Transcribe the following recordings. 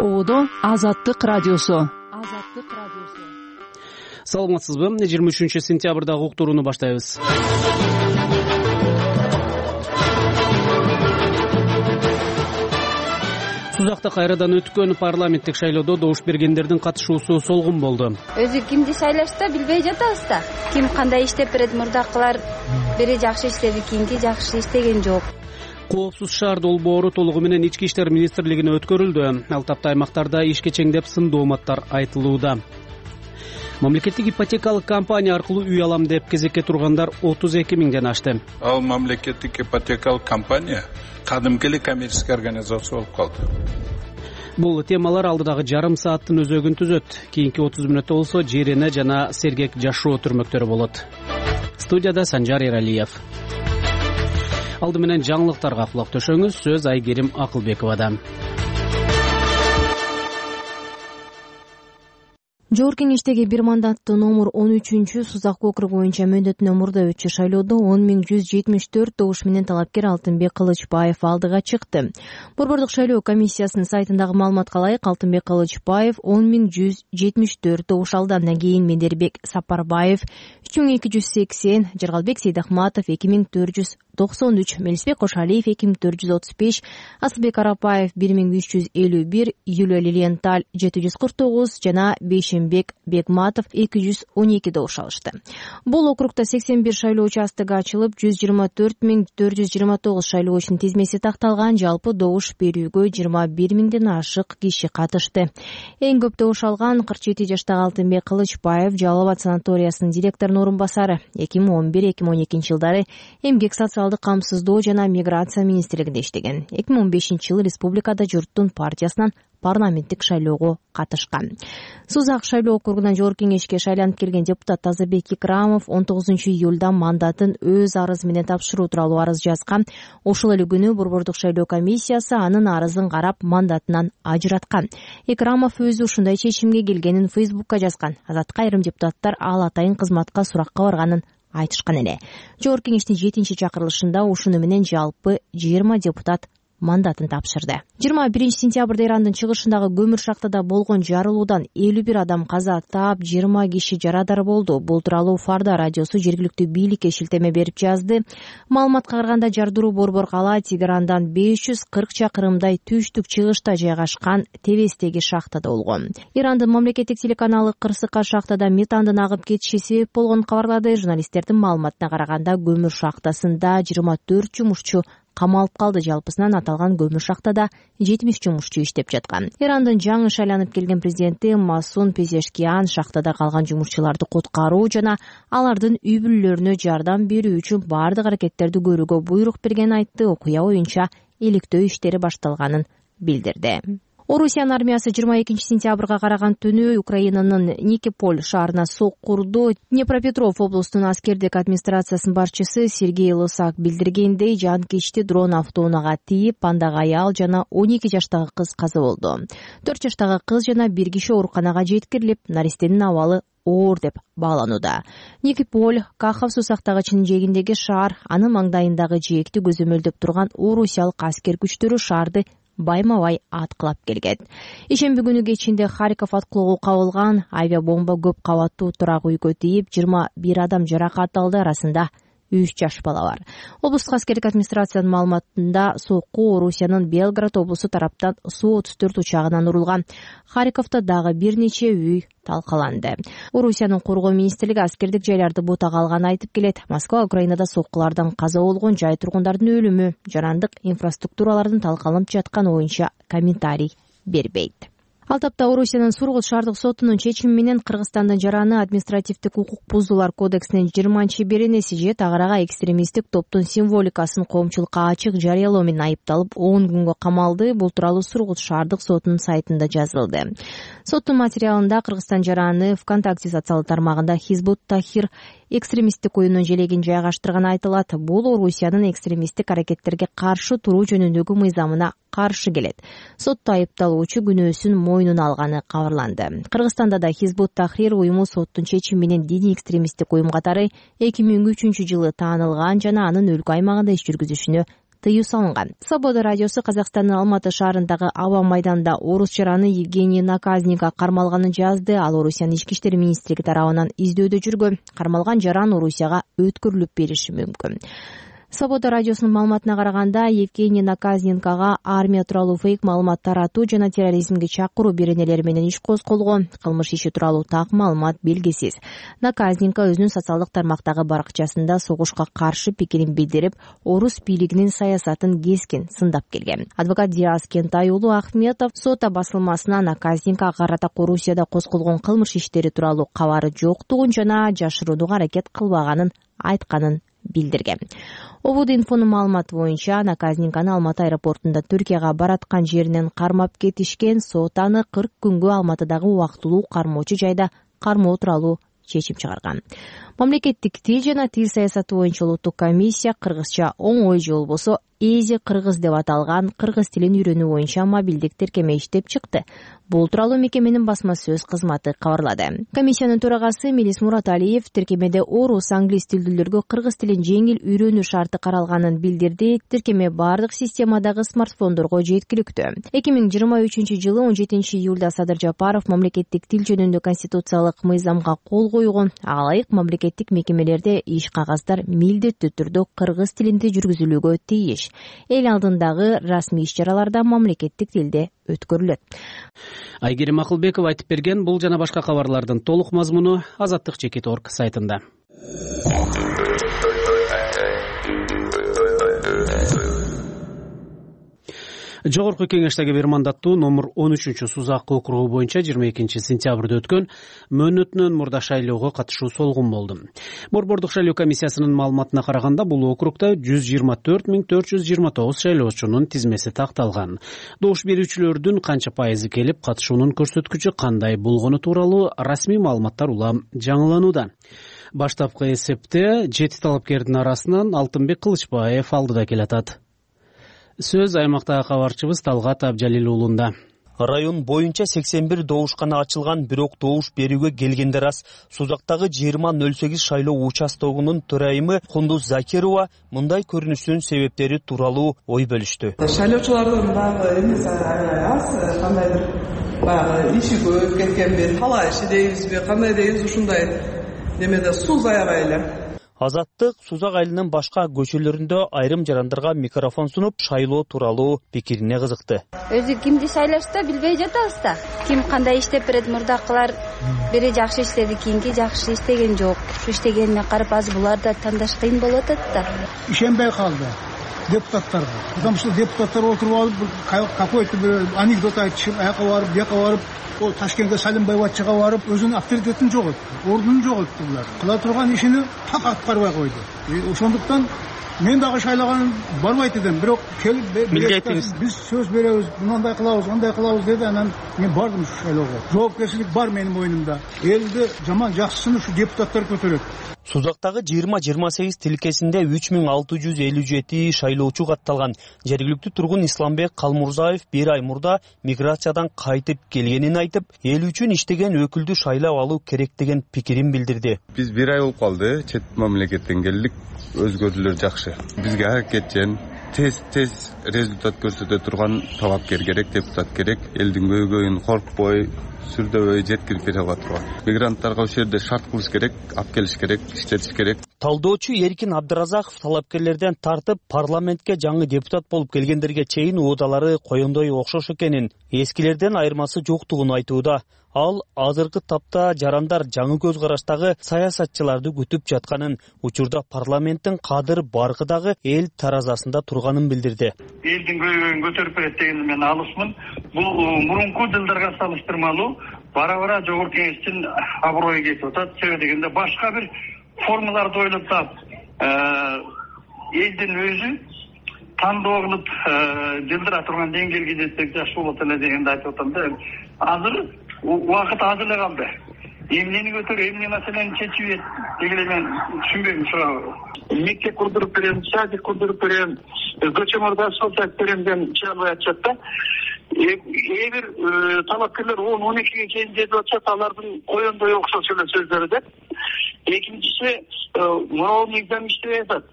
Ободо Азаттык радиосу. Саламатсызбы? 23-сентябрдагы уктурууну баштайбыз. Сузакта кайрадан өткөн парламенттик шайлоодо добуш бергендердин катышуусу солгун болду. Өзү кимди шайлашта билбей жатабыз да. Ким кандай иштеп берет, мурдакылар бири жакшы иштеди, кийинки жакшы иштеген жок. Коопсуз шаар долбоору толугу менен Ички иштер министрлигине өткөрүлдү. Ал тапта аймактарда ишке чеңдеп сындуу мааттар айтылууда. Мамлекеттик ипотекалык компания аркылуу үй алам деп кезекке тургандар 32 миңден ашты. Ал мамлекеттик ипотекалык компания кадимки эле коммерческий организация болуп калды. Бул темалар алдыдагы жарым сааттын өзөгүн түзөт. Кийинки 30 мүнөттө болсо Жерене жана Сергек жашоо түрмөктөрү болот. Студияда Санжар Эралиев. Алды менен жаңылыктарга кулак төшөңүз. Сөз Айгерим Акылбековада. Жогорку Кеңештеги бир мандаттуу номер 13 Сузак округу боюнча мөөнөтүнөн мурда өтчү шайлоодо 10.174 добуш менен талапкер Алтынбек Кылычбаев алдыга чыкты. Борбордук шайлоо комиссиясынын сайтындагы маалыматка ылайык Алтынбек Кылычбаев 10.174 добуш алды. Андан кийин Мендербек Сапарбаев 3280, Жаргалбек Сейдахматов 2493, Мелисбек Кошалиев 2435, Асылбек Арапаев 1351, Юлия Лилиенталь 749 жана Бейшенбек Бекматов 212 добуш алышты. Бул округда 81 шайлоо участогу ачылып, 124.429 шайлоочунун тизмеси такталган. Жалпы добуш берүүгө 21 миңден ашык киши катышты. Эң көп добуш алган 47 жаштагы Алтынбек Кылычбаев Жалал Абад санаториясынын директорунун орун басары. 2011-2012 жылдары эмгек социалдык камсыздоо жана миграция министрлигинде иштеген. 2015 жылы республикада Журттун партиясынан парламенттик шайлоого катышкан. Сузак шайлоо округунан Жогорку Кеңешке шайланып келген депутат Тазабек Икрамов 19 июлда мандатын өз арызы менен тапшыруу тууралуу арыз жазган. Ошол эле күнү борбордук шайлоо комиссиясы анын арызын карап мандатынан ажыраткан. Икрамов өзү ушундай чечимге келгенин Фейсбукка жазган. Азатка айрым депутаттар ал атайын кызматка суракка барганын айтышкан эле. Жогорку Кеңештин 7-чакырылышында ушуну менен жалпы 20 депутат мандатын тапшырды. 21 сентябрда Ирандын чыгышындагы көмүр шахтада болгон жарылуудан 51 адам каза таап, 20 киши жарадар болду. Бул тууралуу Фарда радиосу жергиликтүү бийликке шилтеме берип жазды. Маалыматка караганда жардыруу борбор кала Тегерандан 540 чакырымдай түштүк чыгышта жайгашкан Тебестеги шахтада болгон. Ирандын мамлекеттик телеканалы кырсыкка шахтада метандын агып кетиши себеп болгонун кабарлады. Журналисттердин маалыматына караганда көмүр шахтасында 24 жумушчу камалып калды. Жалпысынан аталган көмүр шахтада 70 жумушчу иштеп жаткан. Ирандын жаңы шайланып келген президенти Масун Пезешкиан шахтада калган жумушчуларды куткаруу жана алардын үй бүлөлөрүнө жардам берүү үчүн бардык аракеттерди көрүүгө буйрук бергенин айтты. Окуя боюнча иликтөө иштери башталганын билдирди. Орусиянын армиясы 22 сентябрга караган түнү Украинанын Никополь шаарына соккурду. Днепропетров облустунун аскердик администрациясынын башчысы Сергей Лосак билдиргендей, жанкечти дрон автоунаага тийип, андагы аял жана 12 жаштагы кыз каза болду. 4 жаштагы кыз жана бир киши ооруканага жеткирилип, наристенин абалы оор деп бааланууда. Никополь Кахов суу сактагычынын жээгиндеги шаар, анын маңдайындагы жээкти көзөмөлдөп турган орусиялык аскер күчтөрү шаарды байма-бай аткылап келген. Ишемби күнү кечинде Харьков аткылоого кабылган авиабомба көп кабаттуу турак үйгө тийип, 21 адам жаракат алды, арасында 3 жаш бала бар. Облустук аскердик администрациянын маалыматында сокку Орусиянын Белград облусу тараптан Су-34 учагынан урулган. Харьковдо дагы бир нече үй талкаланды. Орусиянын коргоо министрлиги аскердик жайларды бутага алганын айтып келет. Москва Украинада соккулардан каза болгон жай тургундардын өлүмү, жарандык инфраструктуралардын талкаланып жатканы боюнча комментарий бербейт. Ал тапта Орусиянын Сургут шаардык сотунун чечими менен Кыргызстандын жараны административдик укук бузуулар кодексинин 20-беренеси же тагырага экстремисттик топтун символикасын коомчулукка ачык жарыялоо менен айыпталып 10 күнгө камалды. Бул тууралуу Сургут шаардык сотунун сайтында жазылды. Соттун материалында Кыргызстан жараны ВКонтакте социалдык тармагында Хизбут Тахир экстремисттик уюмдун желегин жайгаштырганы айтылат. Бул Орусиянын экстремисттик аракеттерге каршы туруу жөнүндөгү мыйзамына каршы келет. Сотто айыпталуучу күнөөсүн мойнуна алганы кабарланды. Кыргызстанда да Хизбут Тахрир уюму соттун чечими менен диний экстремисттик уюм катары 2003 жылы таанылган жана анын өлкө аймагында иш жүргүзүшүнө тыюу салынган. Свобода радиосу Казакстандын Алматы шаарындагы аба майданында орус жараны Евгений Наказника кармалганын жазды. Ал Орусиянын ички иштер министрлиги тарабынан издөөдө жүргөн. Кармалган жаран Орусияга өткөрүлүп бериши мүмкүн. Свобода радиосунун маалыматына караганда, Евгений Наказненкага армия тууралуу фейк маалымат таратуу жана терроризмге чакыруу беренелери менен иш козголгон. Кылмыш иши тууралуу так маалымат белгисиз. Наказненко өзүнүн социалдык тармактагы баракчасында согушка каршы пикирин билдирип, орус бийлигинин саясатын кескин сындап келген. Адвокат Диас Кентай уулу Ахметов сот басылмасына Наказненкага карата Орусияда козголгон кылмыш иштери тууралуу кабары жоктугун жана жашырууга аракет кылбаганын айтканын билдирген. Обуд-инфонун маалыматы боюнча Наказненканы Алматы аэропортунда Түркияга бараткан жеринен кармап кетишкен. Сот аны 40 күнгө Алматыдагы убактылуу кармоочу жайда кармоо тууралуу чечим чыгарган. Мамлекеттик тил жана тил саясаты боюнча улуттук комиссия кыргызча оңой же болбосо Эзи кыргыз деп аталган кыргыз тилин үйрөнүү боюнча мобилдик тиркеме иштеп чыкты. Бул тууралуу мекеменин басма сөз кызматы кабарлады. Комиссиянын төрагасы Мелис Мураталиев тиркемеде орус, англис тилдүүлөргө кыргыз тилин жеңил үйрөнүү шарты каралганын билдирди. Тиркеме бардык системадагы смартфондорго жеткиликтүү. 2023 жылы 17 июлда Садыр Жапаров мамлекеттик тил жөнүндө конституциялык мыйзамга кол койгон. Ага ылайык мамлекеттик мекемелерде иш кагаздар милдеттүү түрдө кыргыз тилинде жүргүзүлүүгө тийиш. Эл алдындагы расмий иш-чараларда мамлекеттик тилде өткөрүлөт. Айгерим Акылбекова айтып берген бул жана башка кабарлардын толук мазмуну Азаттык.org сайтында. Жогорку кеңештеги бир мандаттуу номер 13-Сузак округу боюнча 22 сентябрда өткөн мөөнөтүнөн мурда шайлоого катышуу солгун болду. Борбордук шайлоо комиссиясынын маалыматына караганда, бул округда 124.429 шайлоочунун тизмеси такталган. Добуш берүүчүлөрдүн канча пайызы келип, катышуунун көрсөткүчү кандай болгону тууралуу расмий маалыматтар улам жаңыланууда. Баштапкы эсепте 7 талапкердин арасынан Алтынбек Кылычбаев алдыда келатат. Сөз аймактагы кабарчыбыз Талгат Абжалил уулунда. Район боюнча 81 добушкана ачылган, бирок добуш берүүгө келгендер аз. Сузактагы 2008 шайлоо участогунун төрайымы Кундуз Закирова мындай көрүнүштүн себептери тууралуу ой бөлүштү. Шайлоочулардын дагы эмеси аз, кандайдыр баягы иши көп кеткенби, талай иши дейбизби, кандай дейбиз, ушундай немеде суз аябай эле. Азаттык Сузак айылынын башка көчөлөрүндө айрым жарандарга микрофон сунуп, шайлоо тууралуу пикирине кызыкты. Өзү кимди шайлашта билбей жатабыз да. Ким кандай иштеп берет, мурдакылар бири жакшы иштеди, кийинки жакшы иштеген жок. Ушу иштегенине карап азыр буларды тандаш кыйын болуп атат да. Ишенбей калды депутаттарга. Потому что депутаттар отуруп алып какой-то бир анекдот айтышып, аяка барып, бияка барып, ол Ташкентке Салимбаевачыга барып, өзүнүн авторитетин жоготту, ордунун жоготту булар. Кыла турган ишини так аткарбай койду. Ошондуктан мен дагы шайлаган барбайт элем, бирок келип биз сөз беребиз, мындай кылабыз, андай кылабыз деди. Анан мен бардым ушу шайлоого. Жоопкерчилик бар менин мойнумда. Элди жаман жакшысын ушу депутаттар көтөрөт. Сузактагы 20-28 тилкесинде 3657 шайлоочу катталган. Жергиликтүү тургун Исламбек Калмурзаев бир ай мурда миграциядан кайтып келгенин айтып, эл үчүн иштеген өкүлдү шайлап алуу керек деген пикирин билдирди. Биз бир ай болуп калды, чет мамлекеттен келдик, өзгөрүүлөр жакшы. Бизге аракетчен, тез результат көрсөтө турган талапкер керек, депутат керек, элдин көйгөйүн коркпой, сүрдөбөй жеткирип бере ала турган. Мигранттарга ошол жерде шарт кылыш керек, алып келиш керек, иштетиш керек. Талдоочу Эркин Абдыразаков талапкерлерден тартып парламентке жаңы депутат болуп келгендерге чейин уудалары коёндой окшош экенин, эскилерден айырмасы жоктугун айтууда. Ал азыркы тапта жарандар жаңы көз караштагы саясатчыларды күтүп жатканын, учурда парламенттин кадыр баркы дагы эл таразасында турганын билдирди. Элдин көйгөйүн көтөрүп берет дегенди мен алысмын. Бул мурунку жылдарга салыштырмалуу бара-бара жогорку кеңештин аброю кетип атат. Себеби дегенде башка бир формаларды ойлоп таап, элдин өзү тандоо кылып жылдыра турган деңгээлге жетсек жакшы болот эле дегенди айтып атам да. Азыр убакыт аз эле калды. Эмнени көтөрүп, эмне маселени чечип дегеле мен түшүнбөйм ушуга. Мектеп курдуруп берем, садик курдуруп берем, көчөмөрдө асфальт айтып берем деген чыгарбай атышат да. Бир талапкерлер 10-12ге чейин жетип атышат, алардын коёндой окшош эле сөздөрү да. Экинчиси, мынау мыйзам иштебей атат.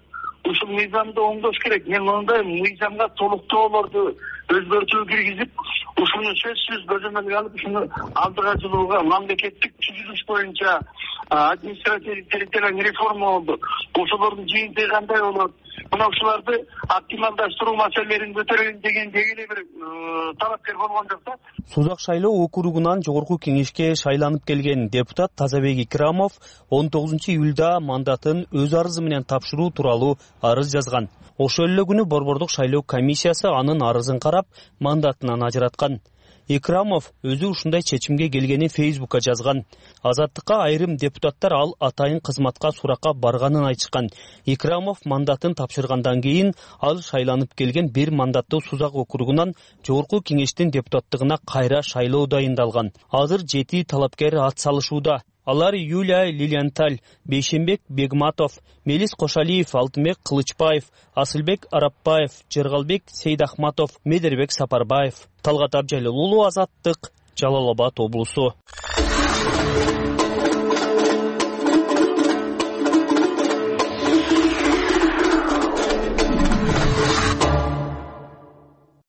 ушул мыйзамды оңдош керек. Мен мындай мыйзамга толуктоолорду өзгөртүү киргизип, ушуну сөзсүз көзөмөлгө алып, ушуну алдыга жылууга мамлекеттик түзүлүш боюнча административдик территориалдык реформа болду. Ошолордун жыйынтыгы кандай болот? Мына ушуларды оптималдаштыруу маселелерин көтөрөйүн деген эле бир талапкер болгон жок да. Сузак шайлоо округунан жогорку кеңешке шайланып келген депутат Тазабек Икрамов 19 июлда мандатын өз арызы менен тапшыруу тууралуу арыз жазган. Ошол эле күнү Борбордук шайлоо комиссиясы анын арызын карап, мандатынан ажыраткан. Икрамов өзү ушундай чечимге келгенин Фейсбукка жазган. Азаттыкка айрым депутаттар ал атайын кызматка суракка барганын айтышкан. Икрамов мандатын тапшыргандан кийин ал шайланып келген бир мандаттуу Сузак округунан жогорку кеңештин депутаттыгына кайра шайлоо дайындалган. Азыр 7 талапкер ат салышууда. Алар Юлия Лилианталь, Бейшенбек Бегматов, Мелис Кошалиев, Алтынбек Кылычбаев, Асылбек Арапбаев, Жергалбек Сейдахматов, Медербек Сапарбаев. Талгат Абжалил, Азаттык, Жалал Абад облусу.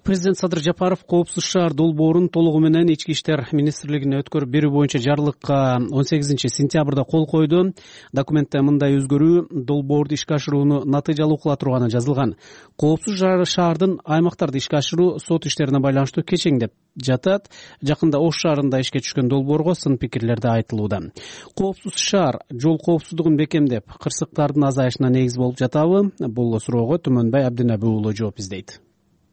Президент Садыр Жапаров коопсуз шаар долбоорун толугу менен Ички иштер министрлигине өткөрүп берүү боюнча жарлыкка 18-сентябрда кол койду. Документте мындай өзгөрүү долбоорду ишке ашырууну натыйжалуу кыла турганы жазылган. Коопсуз шаардын аймактарды ишке ашыруу сот иштерине байланыштуу кечеңдеп жатат. Жакында Ош шаарында ишке түшкөн долбоорго сын пикирлерди айтылууда. Коопсуз шаар жол коопсуздугун бекемдеп, кырсыктардын азайышына негиз болуп жатабы? Бул суроого Түмөнбай Абдинабы уулу жооп издейт.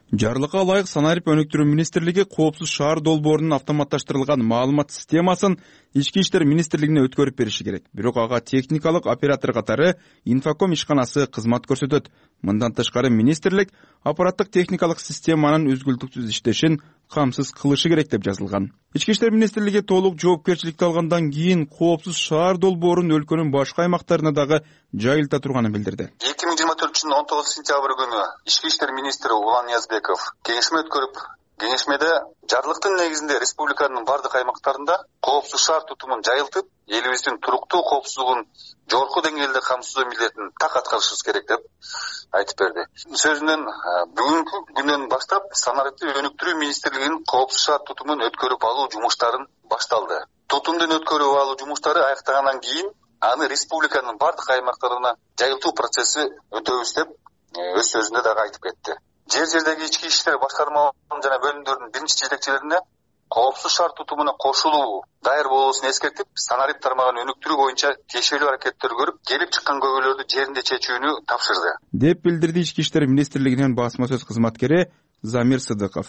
Жарлыкка ылайык Санарип өнүктүрүү министрлиги коопсуз шаар долбоорунун автоматташтырылган маалымат системасын Ички иштер министрлигине өткөрүп бериши керек. Бирок ага техникалык оператор катары Инфоком ишканасы кызмат көрсөтөт. Мындан тышкары министрлик аппараттык техникалык системанын үзгүлтүксүз иштешин камсыз кылышы керек деп жазылган. Ички иштер министрлиги толук жоопкерчиликти алгандан кийин коопсуз шаар долбоорун өлкөнүн башка аймактарына дагы жайылта турганын билдирди. 2024 19 сентябрь күнү Ички иштер министри Улан Ниязбеков кеңешме өткөрүп, кеңешмеде жарлыктын негизинде республиканын бардык аймактарында коопсуз шаар тутумун жайылтып, элибиздин туруктуу коопсуздугун жогорку деңгээлде камсыздоо милдетин так аткарышыбыз керек деп айтып берди. Сөзүнөн бүгүнкү күндөн баштап Санарипти өнүктүрүү министрлигинин коопсуз шаар тутумун өткөрүп алуу жумуштарын башталды. Тутумдун өткөрүп алуу жумуштары аяктагандан кийин аны республиканын бардык аймактарына жайылтуу процесси өтөбүз деп өз сөзүндө дагы айтып кетти. Жер-жердеги ички иштер башкармаларынын жана бөлүмдөрдүн биринчи жетекчилерине коопсуз шаар тутумуна кошулуу даяр болуусун эскертип, Санарип тармагын өнүктүрүү боюнча тиешелүү аракеттер көрүп, келип чыккан көйгөйлөрдү жеринде чечүүнү тапшырды деп билдирди Ички иштер министрлигинин басма сөз кызматкери Замир Сыдыков.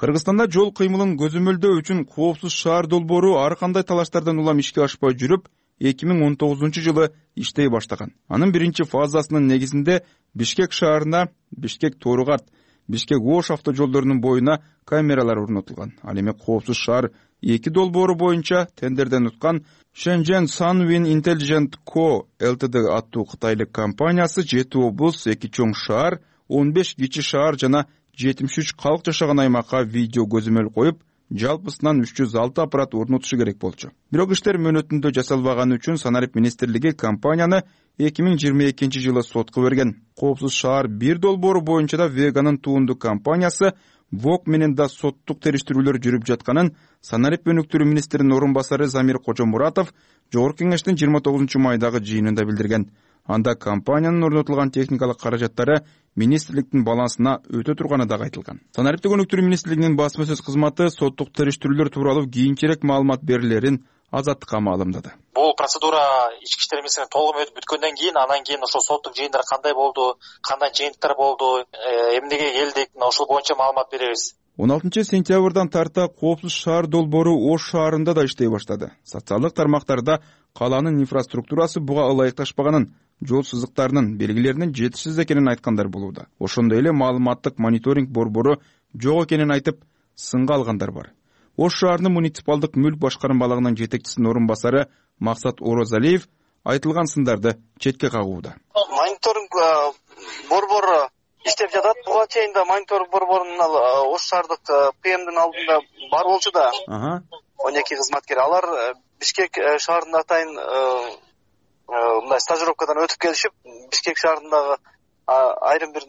Кыргызстанда жол кыймылын көзөмөлдөө үчүн коопсуз шаар долбоору ар кандай талаштардан улам ишке ашпай жүрүп, 2019 жылы иштей баштаган. Анын биринчи фазасынын негизинде Бишкек шаарына, Бишкек-Тооругарт, Бишкек-Ош автожолдорунун боюна камералар орнотулган. Ал эми коопсуз шаар 2 долбоору боюнча тендерден уткан Shenzhen Sunwin Intelligent Co. Ltd аттуу кытайлык компаниясы 7 облус, 2 чоң шаар, 15 кичи шаар жана 73 калк жашаган аймакка видео көзөмөл коюп, жалпысынан 306 аппарат орнотушу керек болчу. Бирок иштер мөөнөтүндө жасалбаганы үчүн Санарип министрлиги компанияны 2022 жылы сотко берген. Коопсуз шаар 1 долбоору боюнча да Веганын туунду компаниясы ВОК менен да соттук териштирүүлөр жүрүп жатканын Санарип өнүктүрүү министринин орун басары Замир Кожомуратов Жогорку кеңештин 29 майдагы жыйынында билдирген. Анда компаниянын орнотулган техникалык каражаттары министрликтин балансына өтө турганы дагы айтылган. Санариптик өнүктүрүү министрлигинин басма сөз кызматы соттук териштирүүлөр тууралуу кийинчерээк маалымат берилерин Азаттыкка маалымдады. Бул процедура ички иштер министрлигинин толугу өтүп бүткөндөн кийин, анан кийин ошол соттук жыйындар кандай болду, кандай жыйынтыктар болду, эмнеге келдик, ошол боюнча маалымат беребиз. 16 сентябрдан тарта коопсуз шаар долбоору Ош шаарында да иштей баштады. Социалдык тармактарда калаанын инфраструктурасы буга ылайыкташпаганын, жол сызыктарынын белгилеринин жетишсиз экенин айткандар болууда. Ошондой эле маалыматтык мониторинг борбору жок экенин айтып, сынга алгандар бар. Ош шаарынын муниципалдык мүлк башкармалыгынын жетекчисинин орун басары Максат Орозалиев айтылган сындарды четке кагууда. Мониторинг борбору иштеп жатат. Буга чейин да мониторинг борборунун Ош шаардык ПМдин алдында бар болчу да. 12 кызматкер. Алар Бишкек шаарында атайын мындай стажировкадан өтүп келишип, Бишкек шаарындагы айрым бир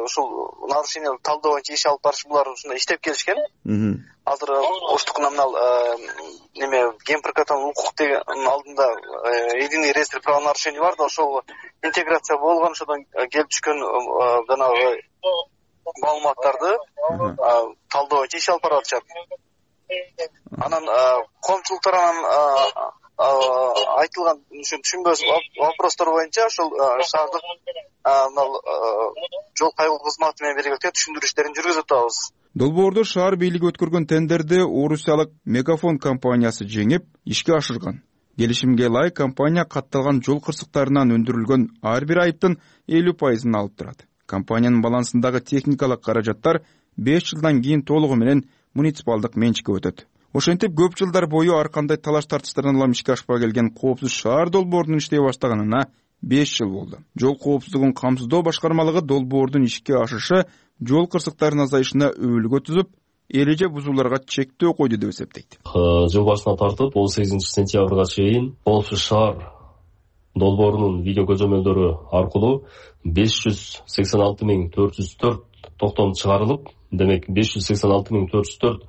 ушул нарушение талдоо боюнча иш алып барыш булар ушундай иштеп келишкен. Азыр уштук номинал ген прокатынан укук деген алдында единый реестр правонарушений бар да, ошол интеграция болгон, ошодон келип түшкөн жанагы маалыматтарды талдоо боюнча иш алып барып атышат. Анан коомчулуктардан айтылган түшүнбөс вопростор боюнча ошол шаардык жол кайгылуу кызматы менен бирге түшүндүрүү иштерин жүргүзүп атабыз. Долбоорду шаар бийлиги өткөргөн тендерди орусиялык Мегафон компаниясы жеңип, ишке ашырган. Келишимге ылайык компания катталган жол кырсыктарынан өндүрүлгөн ар бир айыптын 50% алып турат. Компаниянын балансындагы техникалык каражаттар 5 жылдан кийин толугу менен муниципалдык менчикке өтөт. Ошентип көп жылдар бою ар кандай талаш тартыштардан улам ишке ашпай келген коопсуз шаар долбоорунун иштей баштаганына 5 жыл болду. Жол коопсуздугун камсыздоо башкармалыгы долбоордун ишке ашышы жол кырсыктарынын азайышына өбөлгө түзүп, эреже бузууларга чектөө койду деп эсептейт. Жыл башынан тартып 18 сентябрга чейин коопсуз шаар долбоорунун видео көзөмөлдөрү аркылуу 586.404 токтом чыгарылып, демек 586.404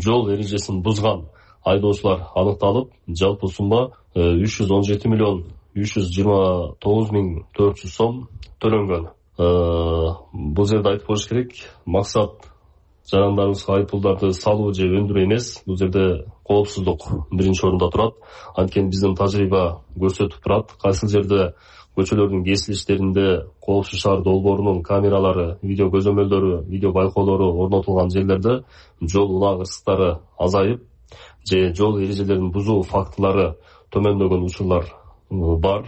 жол эрежесин бузган айдоочулар аныкталып, жалпы сумма 317.329.400 сом төлөнгөн. Бул жерде айтып коюш керек, максат жарандарыбызга айыппулдарды салуу же өндүрүү эмес. Бул жерде коопсуздук биринчи орунда турат. Анткени биздин тажрыйба көрсөтүп турат, кайсы жерде көчөлөрдүн кесилиштеринде коопсуз шаар долбоорунун камералары, видео көзөмөлдөрү, видео байкоолору орнотулган жерлерде жол унаа кырсыктары азайып же жол эрежелерин бузуу фактылары төмөндөгөн учурлар бар.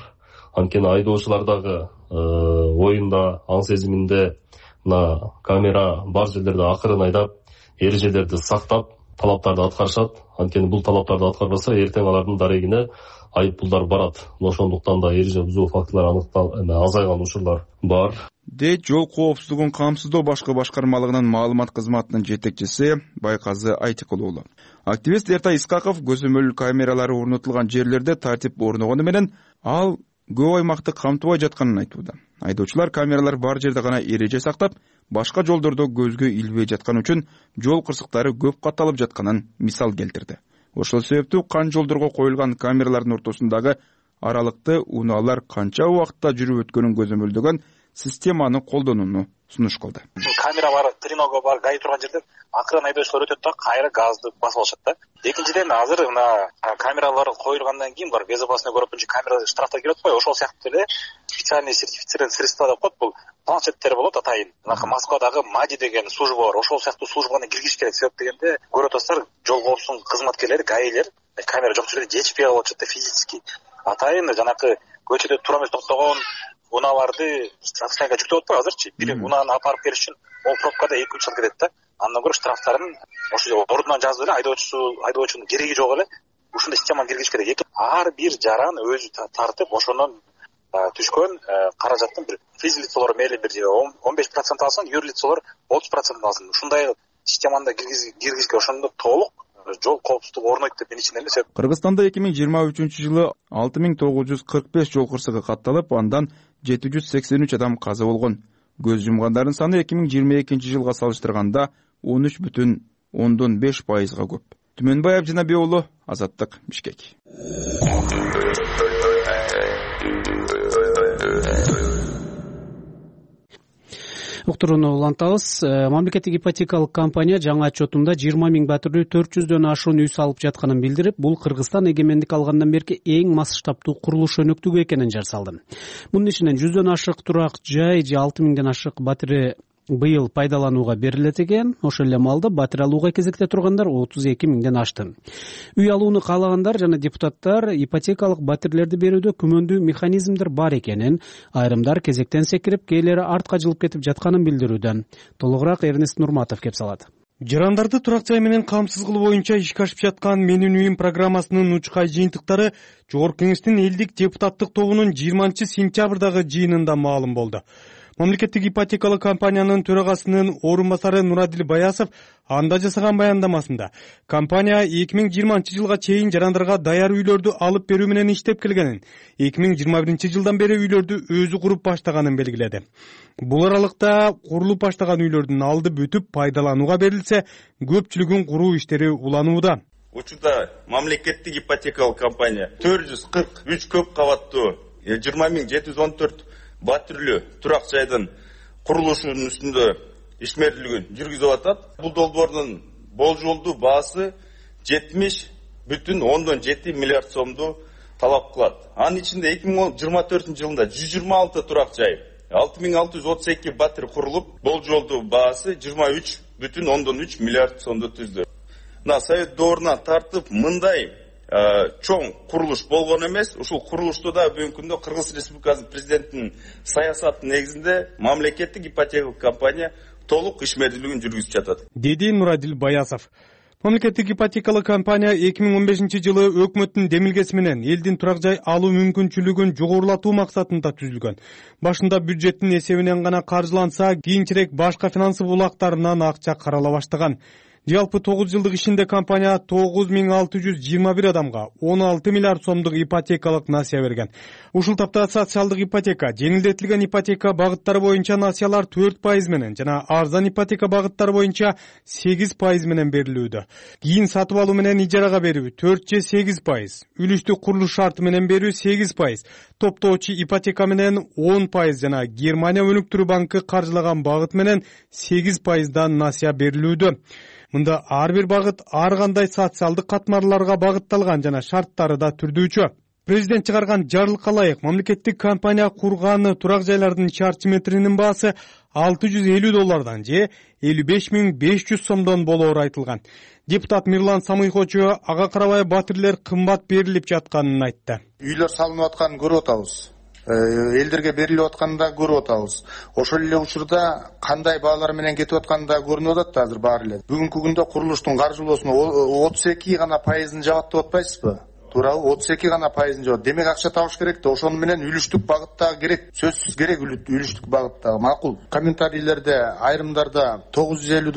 Анткени айдоочулардагы оюнда, аң сезиминде мына камера бар жерлерде акырын айдап, эрежелерди сактап, талаптарды аткарышат. Анткени бул талаптарды аткарбаса, эртең алардын дарегине айыппулдар барат. Ошондуктан да эреже бузуу фактылары азайган учурлар бар. Дейт жол коопсуздугун камсыздоо башкы башкармалыгынын маалымат кызматынын жетекчиси Байказы Айтыкул уулу. Активист Эртай Искаков көзөмөл камералары орнотулган жерлерде тартип орногону менен ал көп аймакты камтыбай жатканын айтууда. Айдоочулар камералар бар жерде гана эреже сактап, башка жолдордо көзгө илбей жаткан үчүн жол кырсыктары көп катталып жатканын мисал келтирди. Ошол себептүү кан жолдорго коюлган камералардын ортосундагы аралыкты унаалар канча убакытта жүрүп өткөнүн көзөмөлдөгөн системаны колдонууну сунуш кылды. Камера бар, тренога бар, гаи турган жерде акырын айдоочулар өтөт да, кайра газды басып алышат да. Экинчиден, азыр мына камералар коюлгандан кийин бар безопасный город боюнча камера штрафтар келет го, ошол сыяктуу эле специальный сертифицированный средства деп коет, бул планшеттер болот атайын. Москвадагы МАДИ деген служба бар, ошол сыяктуу службаны киргизиш керек. Себеп дегенде көрүп атасыздар, жол коопсуздугунун кызматкерлери, гаилер камера жок жерде жетишпей калып атышат да физически. Атайын жанакы көчөдө туура эмес токтогон унааларды штрафтайга жүктөп атпайбы азырчы? Бир унааны апарып келиш үчүн ол пробкада 2-3 жыл кетет да. Андан көрө штрафтарын ошо ордунан жазып эле айдоочунун кереги жок эле ушундай системаны киргизиш керек. Ар бир жаран өзү тартып, ошондон түшкөн каражаттын бир физлицолор мейли бир 15% алсын, юрлицолор 30% алсын. Ушундай системаны киргизишке ошондо толук жол коопсуздугу орнойт деп мен ичинен эсеп. Кыргызстанда 2023-жылы 6945 жол кырсыгы катталып, андан 783 адам каза болгон. Көз жумгандардын саны 2022-жылга салыштырганда 13,5%га көп. Түмөнбай Абжанабек уулу, Азаттык, Бишкек. Уктурууну улантабыз. Мамлекеттик ипотекалык компания жаңы отчетунда 20 миң батирлүү 400дөн ашуун үй салып жатканын билдирип, бул Кыргызстан эгемендик алгандан берки эң масштабтуу курулуш өнөктүгү экенин жар салды. Мунун ичинен 100дөн ашык турак жай же 6 миңден ашык батири быйыл пайдаланууга берилет экен. Ошол эле маалда батир алууга кезекте тургандар 32 миңден ашты. Үй алууну каалагандар жана депутаттар ипотекалык батирлерди берүүдө күмөндүү механизмдер бар экенин, айрымдар кезектен секирип, кээлери артка жылып кетип жатканын билдирүүдө. Толугураак Эрнест Нурматов кеп салат. Жарандарды турак жай менен камсыз кылуу боюнча ишке ашып жаткан Менин үйүм программасынын учкай жыйынтыктары Жогорку Кеңештин элдик депутаттык тобунун 20 сентябрдагы жыйынында маалым болду. Мамлекеттик ипотекалык компаниянын төрагасынын орун басары Нурадил Баясов анда жасаган баяндамасында компания 2020-жылга чейин жарандарга даяр үйлөрдү алып берүү менен иштеп келгенин, 2021-жылдан бери үйлөрдү өзү куруп баштаганын белгиледи. Бул аралыкта курулуп баштаган үйлөрдүн алды бүтүп пайдаланууга берилсе, көпчүлүгүн куруу иштери уланууда. Учурда мамлекеттик ипотекалык компания 443 көп кабаттуу 20.714 батирлүү турак жайдын курулушунун үстүндө ишмердүүлүгүн жүргүзүп атат. Бул долбоордун болжолдуу баасы 70,7 миллиард сомду талап кылат. Анын ичинде 2024-жылында 126 турак жай, 6632 батир курулуп, болжолдуу баасы 23,3 миллиард сомду түздү. Совет доорунан тартып мындай чоң курулуш болгон эмес. Ушул курулушту да бүгүнкү күндө Кыргыз Республикасынын президентинин саясатынын негизинде мамлекеттик ипотекалык компания толук ишмердүүлүгүн жүргүзүп жатат, деди Нурадил Баясов. Мамлекеттик ипотекалык компания 2015-жылы өкмөттүн демилгеси менен элдин турак жай алуу мүмкүнчүлүгүн жогорулатуу максатында түзүлгөн. Башында бюджеттин эсебинен гана каржыланса, кийинчерээк башка финансы булактарынан акча карала баштаган. Жалпы 9 жылдык ишинде компания 9621 адамга 16 миллиард сомдук ипотекалык насыя берген. Ушул тапта социалдык ипотека, жеңилдетилген ипотека багыттары боюнча насыялар 4% менен жана арзан ипотека багыттары боюнча 8% менен берилүүдө. Кийин сатып алуу менен ижарага берүү 4-8%, үлүштүк курулуш шарты менен берүү 8%, топтоочу ипотека менен 10% жана Германия өнүктүрүү банкы каржылаган багыт менен 8%дан насыя берилүүдө. Мында ар бир багыт ар кандай социалдык катмарларга багытталган жана шарттары да түрдүүчү. Президент чыгарган жарлыкка ылайык мамлекеттик компания курган турак жайлардын чарчы метринин баасы $650 же 55.500 сомдон болоору айтылган. Депутат Мирлан Самыйхочу ага карабай батирлер кымбат берилип жатканын айтты. Үйлөр салынып атканын көрүп атабыз. Элдерге берилип атканын да көрүп атабыз. Ошол эле учурда кандай баалар менен кетип атканы да көрүнүп атат азыр баары эле. Бүгүнкү күндө курулуштун каржылоосуна 32 гана пайызын жабат деп атпайсызбы? Туурабы? 32 гана пайызын жабат. Демек акча табыш керек да, ошону менен үлүштүк багыттагы керек. Сөзсүз керек үлүштүк багыттагы. Макул. Комментарийлерде айрымдарда $950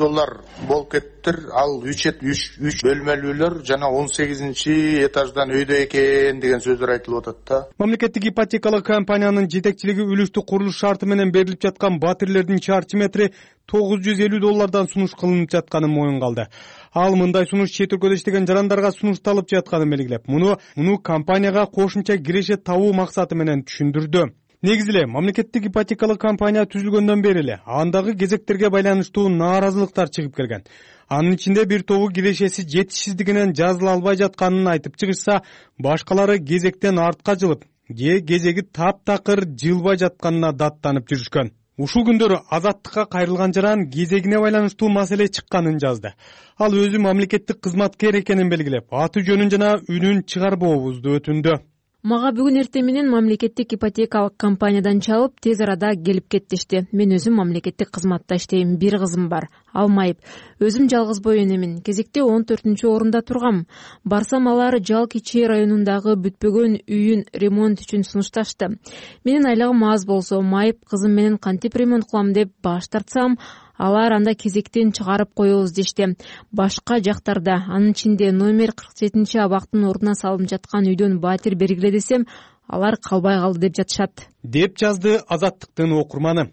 болуп кеттир. Ал 3 бөлмөлүүлөр жана 18-этаждан өйдө экен деген сөздөр айтылып атат да. Мамлекеттик ипотекалык компаниянын жетекчилиги үлүштүк курулуш шарты менен берилип жаткан батирлердин чарчы метри $950 сунуш кылынып жатканын моюнга алды. Ал мындай сунуш чет өлкөдө иштеген жарандарга сунушталып жатканын белгилеп, муну компанияга кошумча киреше табуу максаты менен түшүндүрдү. Негизи эле мамлекеттик ипотекалык компания түзүлгөндөн бери эле андагы кезектерге байланыштуу нааразылыктар чыгып келген. Анын ичинде бир тобу кирешеси жетишсиздигинен жазыла албай жатканын айтып чыгышса, башкалары кезектен артка жылып, кезеги таптакыр жылбай жатканына даттанып жүрүшкөн. Ушул күндөрү Азаттыкка кайрылган жаран кезегине байланыштуу маселе чыкканын жазды. Ал өзү мамлекеттик кызматкер экенин белгилеп, аты жөнүн жана үнүн чыгарбообузду өтүндү. Мага бүгүн эртең менен мамлекеттик ипотекалык компаниядан чалып, тез арада келип кеттишти. Мен өзүм мамлекеттик кызматта иштейм, бир кызым бар. Ал майып. Өзүм жалгыз бой энемин. Кезекте 14-орунда тургам. Барсам алар Жал Кичи районундагы бүтпөгөн үйүн ремонт үчүн сунушташты. Менин айлыгым аз болсо, майып кызым менен кантип ремонт кылам деп баш тартсам, алар анда кезектен чыгарып коебуз дешти. Башка жактарда, анын ичинде номер 47-абактын ордуна салынып жаткан үйдөн батир бергиле десем, алар калбай калды деп жатышат. Деп жазды Азаттыктын окурманы.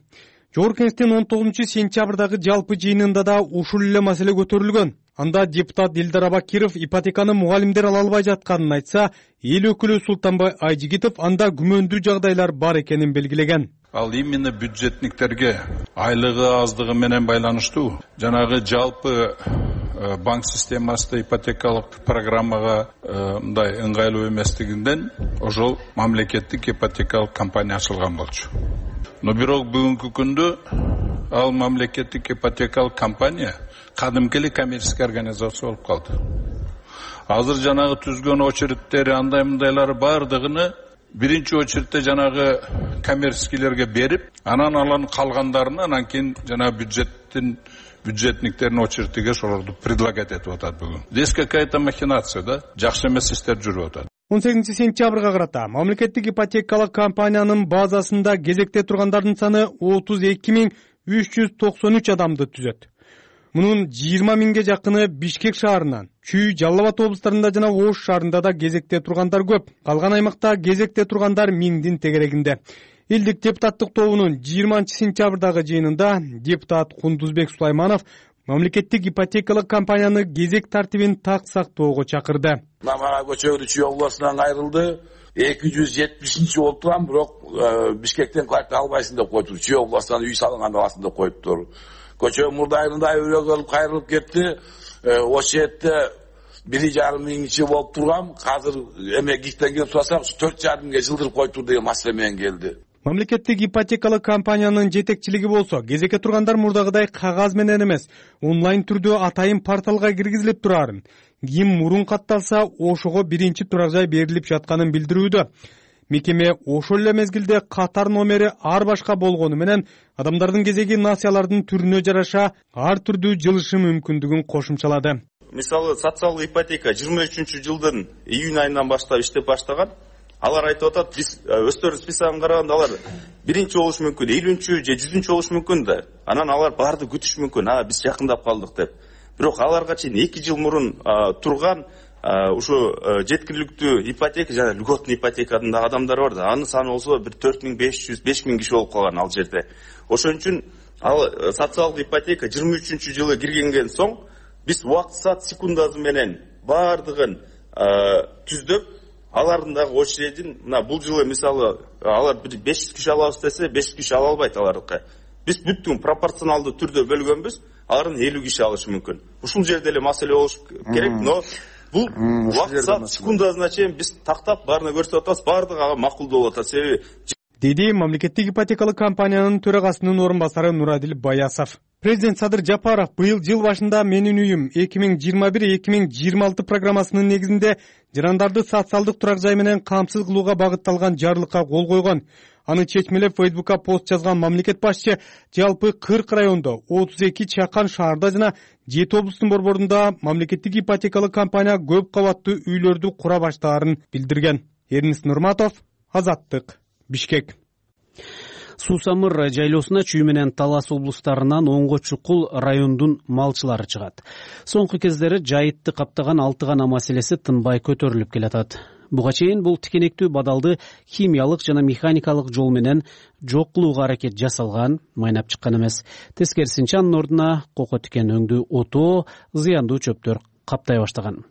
Жогорку Кеңештин 19-сентябрдагы жалпы жыйынында да ушул эле маселе көтөрүлгөн. Анда депутат Элдар Абакиров ипотеканы мугалимдер ала албай жатканын айтса, эл өкүлү Султанбай Айжигитов анда күмөндүү жагдайлар бар экенин белгилеген. Ал именно бюджетниктерге айлыгы аздыгы менен байланыштуу. Жанагы жалпы банк системасында ипотекалык программага мындай ыңгайлуу эместигинден ошол мамлекеттик ипотекалык компания ачылган болчу. Но бирок бүгүнкү күндө ал мамлекеттик ипотекалык компания кадимки эле коммерческий организация болуп калды. Азыр жанагы түзгөн очередтери андай мындайлары бардыгыны биринчи очередте жанагы коммерческийлерге берип, анан алан калгандарына анан кийин жана бюджетниктердин очередиге ошолорду предлагать этип атат бүгүн. Здесь какая-то махинация, да? Жакшы эмес иштер жүрүп атат. 18 сентябрга карата мамлекеттик ипотекалык компаниянын базасында кезекте тургандардын саны 32.393 адамды түзөт. Мунун 20 миңге жакыны Бишкек шаарынан, Чүй, Жалал Абад облустарында жана Ош шаарында да кезекте тургандар көп. Калган аймакта кезекте тургандар миңдин тегерегинде. Элдик депутаттык тобунун 20 сентябрдагы жыйынында депутат Кундузбек Сулайманов мамлекеттик ипотекалык компаниянын кезек тартибин так сактоого чакырды. Мага көчөгү Чүй областынан кайрылды. 270 болуп турган, бирок Бишкектен квартира албайсың деп коюптур. Чүй областынан үй салынган абасында коюптур. Көчө мурдайында өрөөгө кайрылып кетти. Ошол жерде 1,5 миң ичи болуп турган. Азыр эме гиктен келип сурасак, 4,5 миңге жылдырып коюптур деген маселе менен келди. Мамлекеттик ипотекалык компаниянын жетекчилиги болсо, кезекке тургандар мурдагыдай кагаз менен эмес, онлайн түрдө атайын порталга киргизилип турарын, ким мурун катталса, ошого биринчи турак жай берилип жатканын билдирүүдө. Мекеме ошол эле мезгилде катар номери ар башка болгону менен адамдардын кезеги насыялардын түрүнө жараша ар түрдүү жылышы мүмкүндүгүн кошумчалады. Мисалы, социалдык ипотека 23-жылдын июнь айынан баштап иштеп баштаган. Алар айтып атат, биз өздөрүнүн списогун караганда алар биринчи болушу мүмкүн, 50-чү же 100-чү болушу мүмкүн да. Анан алар барды күтүш мүмкүн, биз жакындап калдык деп. Бирок аларга чейин 2 жыл мурун турган ушу жеткиликтүү ипотека жана льготный ипотекадын да адамдар бар да. Анын саны болсо 4500-5000 киши болуп калган ал жерде. Ошон үчүн ал социалдык ипотека 23-жылы киргенген соң биз убакыт саат секундасы менен бардыгын түздөп, алардын дагы очередин, мына бул жылы мисалы алар 500 киши алабыз десе, 500 киши ала албайт алардыкы. Биз бүттүн пропорционалдуу түрдө бөлгөнбүз, алардын 50 киши алышы мүмкүн. Ушул жерде эле маселе болуш керек, но бул убакыт саат секундасына чейин биз тактап баарына көрсөтүп атабыз, бардыгы ага макулдуу болуп атат. Себеби деди мамлекеттик ипотекалык компаниянын төрагасынын орун басары Нурадил Баясов. Президент Садыр Жапаров быйыл жыл башында Менин үйүм 2021-2026 программасынын негизинде жарандарды социалдык турак жай менен камсыз кылууга багытталган жарлыкка кол койгон. Аны чечмелеп Фейсбукка пост жазган мамлекет башчы жалпы 40 райондо, 32 чакан шаарда жана 7 облустун борборунда мамлекеттик ипотекалык компания көп кабаттуу үйлөрдү кура баштаарын билдирген. Эрнис Нурматов, Азаттык, Бишкек. Суусамыр жайлоосуна Чүй менен Талас облустарынан оңго чукул райондун малчылары чыгат. Соңку кездери жайытты каптаган 6 гана маселеси тынбай көтөрүлүп келатат. Буга чейин бул тикенектүү бадалды химиялык жана механикалык жол менен жок кылууга аракет жасалган, майнап чыккан эмес. Тескерисинче анын ордуна кoko тикен өңдүү отоо, зыяндуу чөптөр каптай баштаган.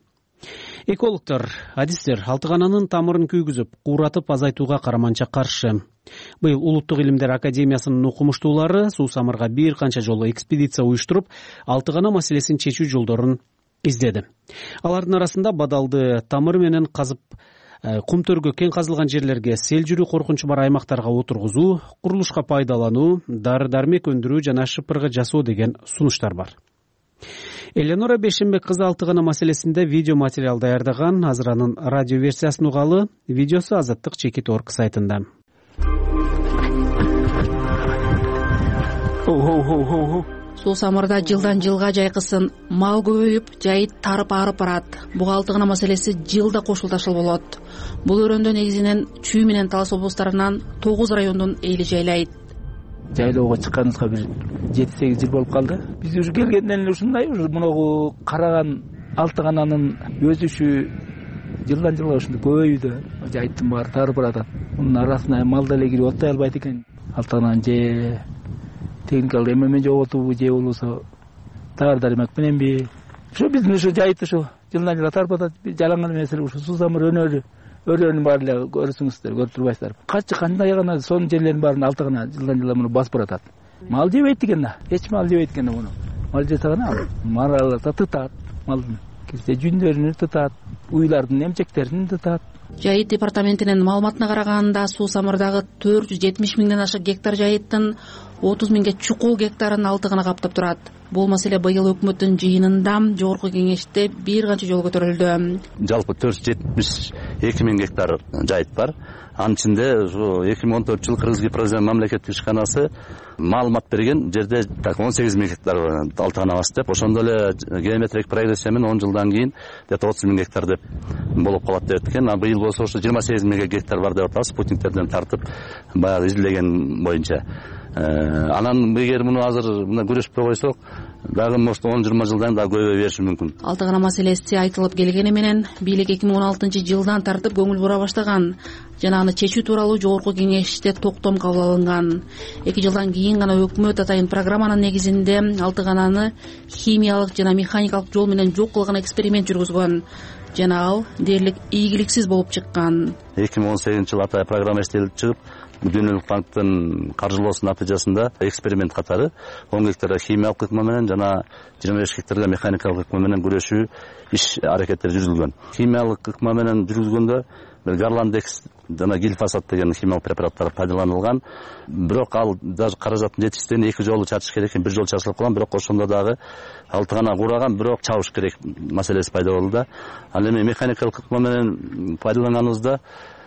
Экологдор, адистер 6 гананын тамырын күйгүзүп, кууратып азайтууга караманча каршы. Быйыл Улуттук илимдер академиясынын окумуштуулары суусамырга бир канча жолу экспедиция уюштуруп, 6 гана маселесин чечүү жолдорун издеди. Алардын арасында бадалды тамыр менен казып, кум төргө кең казылган жерлерге сел жүрүү коркунчу бар аймактарга отургузуу, курулушка пайдалануу, дары-дармек өндүрүү жана шыпыргы жасоо деген сунуштар бар. Эленора Бешенбек кызы 6 гана маселесинде видео материал даярдаган. Азыр анын радио версиясын угалы. Видеосу Азаттык Чекит.org сайтында. Суусамырда жылдан жылга жайкысын мал көбөйүп, жайыт тарып арып барат. Буга 6 гана маселеси жылда кошулташыл болот. Бул өрөндө негизинен Чүй менен Талас облустарынан 9 райондун эли жайлайт. Жайлоого чыкканыбызга бир 7-8 жыл болуп калды. Биз уже келгенден эле ушундай, уже мунагу караган 6 гананын өсүшү жылдан жылга ушундай көбөйүүдө. Жайыттын баары тарып барат. Мунун арасына мал деле кирип оттой албайт экен. 6 гананын же техникалык эмемен жоготуубу же болбосо дары-дармек мененби. Ушу биздин ушу жайыт ушу жылдан жылга тарып атат. Жалаңган меселе ушу суусамыр өрөөнүн баары эле көрсөңүздөр, көрүп турбайсыздар. Кандай гана сонун жерлердин баарын 6 гана жылдан жылга муну басып баратат. Мал жебейт экен да. Эч мал жебейт экен да муну. Мал жесе гана маралата тытат, малдын кирсе жүндөрүн тытат, уйлардын эмчектерин тытат. Жайыт департаментинин маалыматына караганда суусамырдагы 470 миңден ашык гектар жайыттын 30 миңге чукул гектарын 6 гана каптап турат. Бул маселе быйыл өкмөттүн жыйынында жогорку кеңеште бир канча жолу көтөрүлдү. Жалпы 472 миң гектар жайыт бар. Анын ичинде 2014 жылы Кыргыз Гипрозем мамлекеттик ишканасы маалымат берген жерде так 18 000 гектар алтыгана бас деп, ошондо эле геометрик прогрессия менен 10 жылдан кийин где-то 30 000 гектар деп болуп калат деп экен. А быйыл болсо ошо 28 000 гектар бар деп атабыз, спутниктерден тартып баягы изилдеген боюнча. Анан эгер муну азыр мына күрөшпөй койсок, дагы может 10-20 жылдан дагы көбөйө бериши мүмкүн. Алтыгана маселеси айтылып келгени менен бийлик 2016-жылдан тартып көңүл бура баштаган жана аны чечүү тууралуу жогорку кеңеште токтом кабыл алынган. 2 жылдан кийин гана өкмөт атайын программанын негизинде Алтыгананы химиялык жана механикалык жол менен жок кылган эксперимент жүргүзгөн жана ал дээрлик ийгиликсиз болуп чыккан. 2018-жылы атайын программа иштелип чыгып, Дүйнөлүк банктын каржылоосунун натыйжасында эксперимент катары 10 гектар химиялык ыкма менен жана 25 гектарга механикалык ыкма менен күрөшүү иш аракеттери жүргүзүлгөн. Химиялык ыкма менен жүргүзгөндө Гарландекс жана глифосат деген химиялык препараттар пайдаланылган. Бирок ал даже каражаттын жетишсизден 2 жолу чачыш керек экен, 1 жолу чачылып калган, бирок ошондо дагы алтыгана кураган, бирок чабыш керек маселеси пайда болду да. Ал эми механикалык ыкма менен пайдаланганыбызда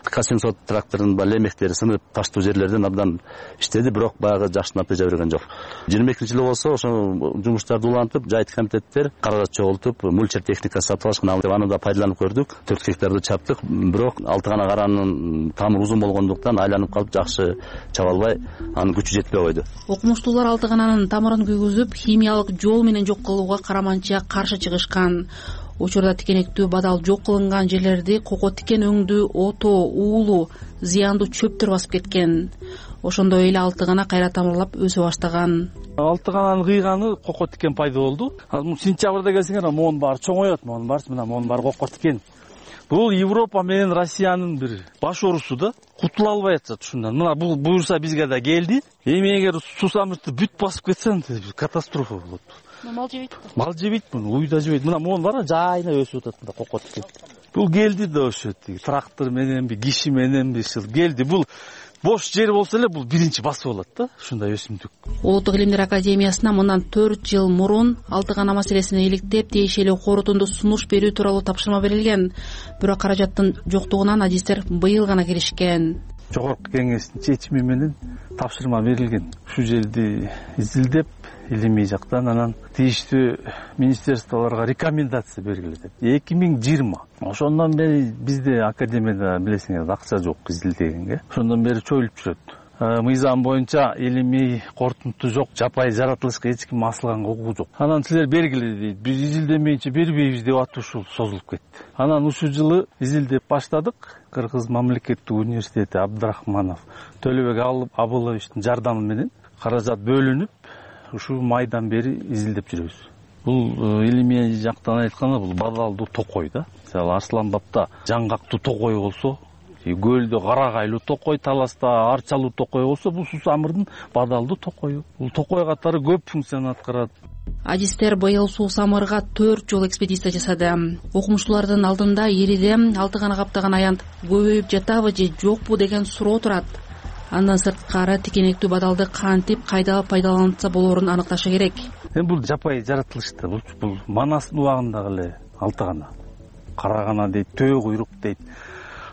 К700 трактордун лемектери сынып таштуу жерлерден абдан иштеди, бирок баягы жакшы натыйжа берген жок. 22-жылы болсо ошо жумуштарды улантып, жайыт комитеттер каражат чогултуп, мульчер техника сатып алышкан, аны да пайдаланып көрдүк. 4 гектарды чаптык, бирок алтыгана каранын тамыры узун болгондуктан айланып калып жакшы чаба албай, анын күчү жетпей койду. Окумуштуулар алтыгананын тамырын күйгүзүп, химиялык жол менен жок кылууга караманча каршы чыгышкан. Учурда тикенектүү бадал жок кылынган жерлерди кoko тикен өңдүү, ото, уулу, зыяндуу чөптөр басып кеткен. Ошондой эле алтыгана кайра тамырлап өсө баштаган. Алтыгананын кыйганы кoko тикен пайда болду. Сентябрда келсеңер, могунун баары чоңоёт, могунун баарысы мына могунун баары кoko тикен. Бул Европа менен Россиянын бир баш оорусу да, кутула албай атышат ушундан. Мына бул буюрса бизге да келди. Эми эгер сусамыртты бүт басып кетсе, катастрофа болот. Мал жебейт. Мал жебейт, уй да жебейт. Мына могун бар, жайына өсүп атат мында кoko тикен. Бул келди да ошо трактор мененби, киши мененби келди. Бул бош жер болсо эле бул биринчи басып алат да, ушундай өсүмдүк. Улуттук илимдер академиясына мындан 4 жыл мурун алтыгана маселесине иликтеп, тиешелүү корутунду сунуш берүү тууралуу тапшырма берилген. Бирок каражаттын жоктугунан адистер быйыл гана киришкен. Жогорку кеңештин чечими менен тапшырма берилген. Ушул жерди изилдеп, илимий жактан анан тийиштүү министерстволорго рекомендация бергиле деп. 2020. Ошондон бери бизде академияда билесиңер акча жок изилдегенге. Ошондон бери чоюлуп жүрөт. Мыйзам боюнча илимий корутунду жок, жапайы жаратылышка эч ким асылганга укугу жок. Анан силер бергиле дейт. Биз изилдемейинче бербейбиз деп атып ушул созулуп кетти. Анан ушул жылы изилдеп баштадык. Кыргыз мамлекеттик университети Абдрахманов Төлөбек Абыловичтин жардамы менен каражат бөлүнүп, ушул майдан бери изилдеп жүрөбүз. Бул илимий жактан айтканда бул бадалдуу токой да. Мисалы Арсланбапта жаңгактуу токой болсо, көлдө карагайлуу токой, таласта арчалуу токой болсо, бул сусамырдын бадалдуу токою. Бул токой катары көп функцияны аткарат. Адистер быйыл сусамырга 4 жол экспедиция жасады. Окумуштуулардын алдында ириде алтыгана каптаган аянт көбөйүп жатабы же жокпу деген суроо турат. Андан сырткары тикенектүү бадалды кантип кайда пайдаланса болорун аныкташы керек. Бул жапайы жаратылышта, бул Манастын убагындагы эле алтыгана. Карагана дейт, төө куйрук дейт.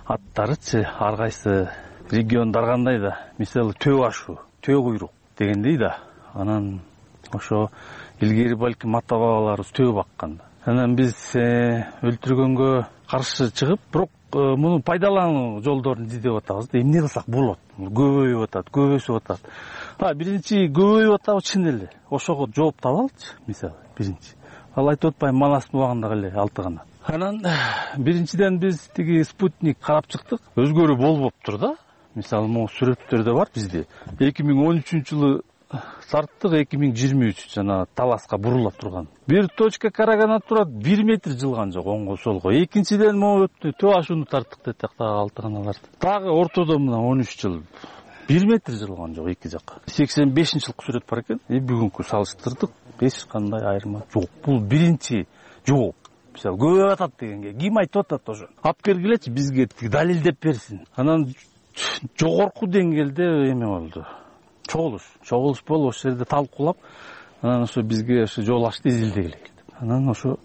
Аттарычы ар кайсы региондор кандай да, мисалы төө ашу, төө куйрук дегендей да. Анан ошо илгери балким ата бабаларыбыз төө баккан. Анан биз өлтүргөнгө каршы чыгып, бирок муну пайдалануу жолдорун издеп атабыз. Эмне кылсак болот? Көбөйүп атат, көбөйсүп атат. Биринчи көбөйүп атабы чын эле. Ошого жооп табалычы, мисалы, биринчи. Ал айтып атпайм, Манастын убагындагы эле алтыгана. Анан биринчиден биз тиги спутник карап чыктык. Өзгөрүү болбоптур да. Мисалы, могу сүрөттөрдө бар бизде. 2013-жылы тарттык, 2023 жана таласка бурулап турган. Бир точка карагана турат, 1 метр жылган жок оңго солго. Экинчиден могу төө ашууну тарттык дедик дагы алтыганаларды. Дагы ортодо мына 13 жыл 1 метр жылган жок эки жакка. 85-жылкы сүрөт бар экен. Бүгүнкү салыштырдык, эч кандай айырма жок. Бул биринчи жол. Мисалы, көбөйүп атат дегенге ким айтып атат ошо? Алып бергилечи бизге далилдеп берсин. Анан жогорку деңгээлде эме болду. Чогулуш болуп, ошол жерде талкуулап, анан ошо бизге ошо жол ашты изилдегиле келди. Анан ошо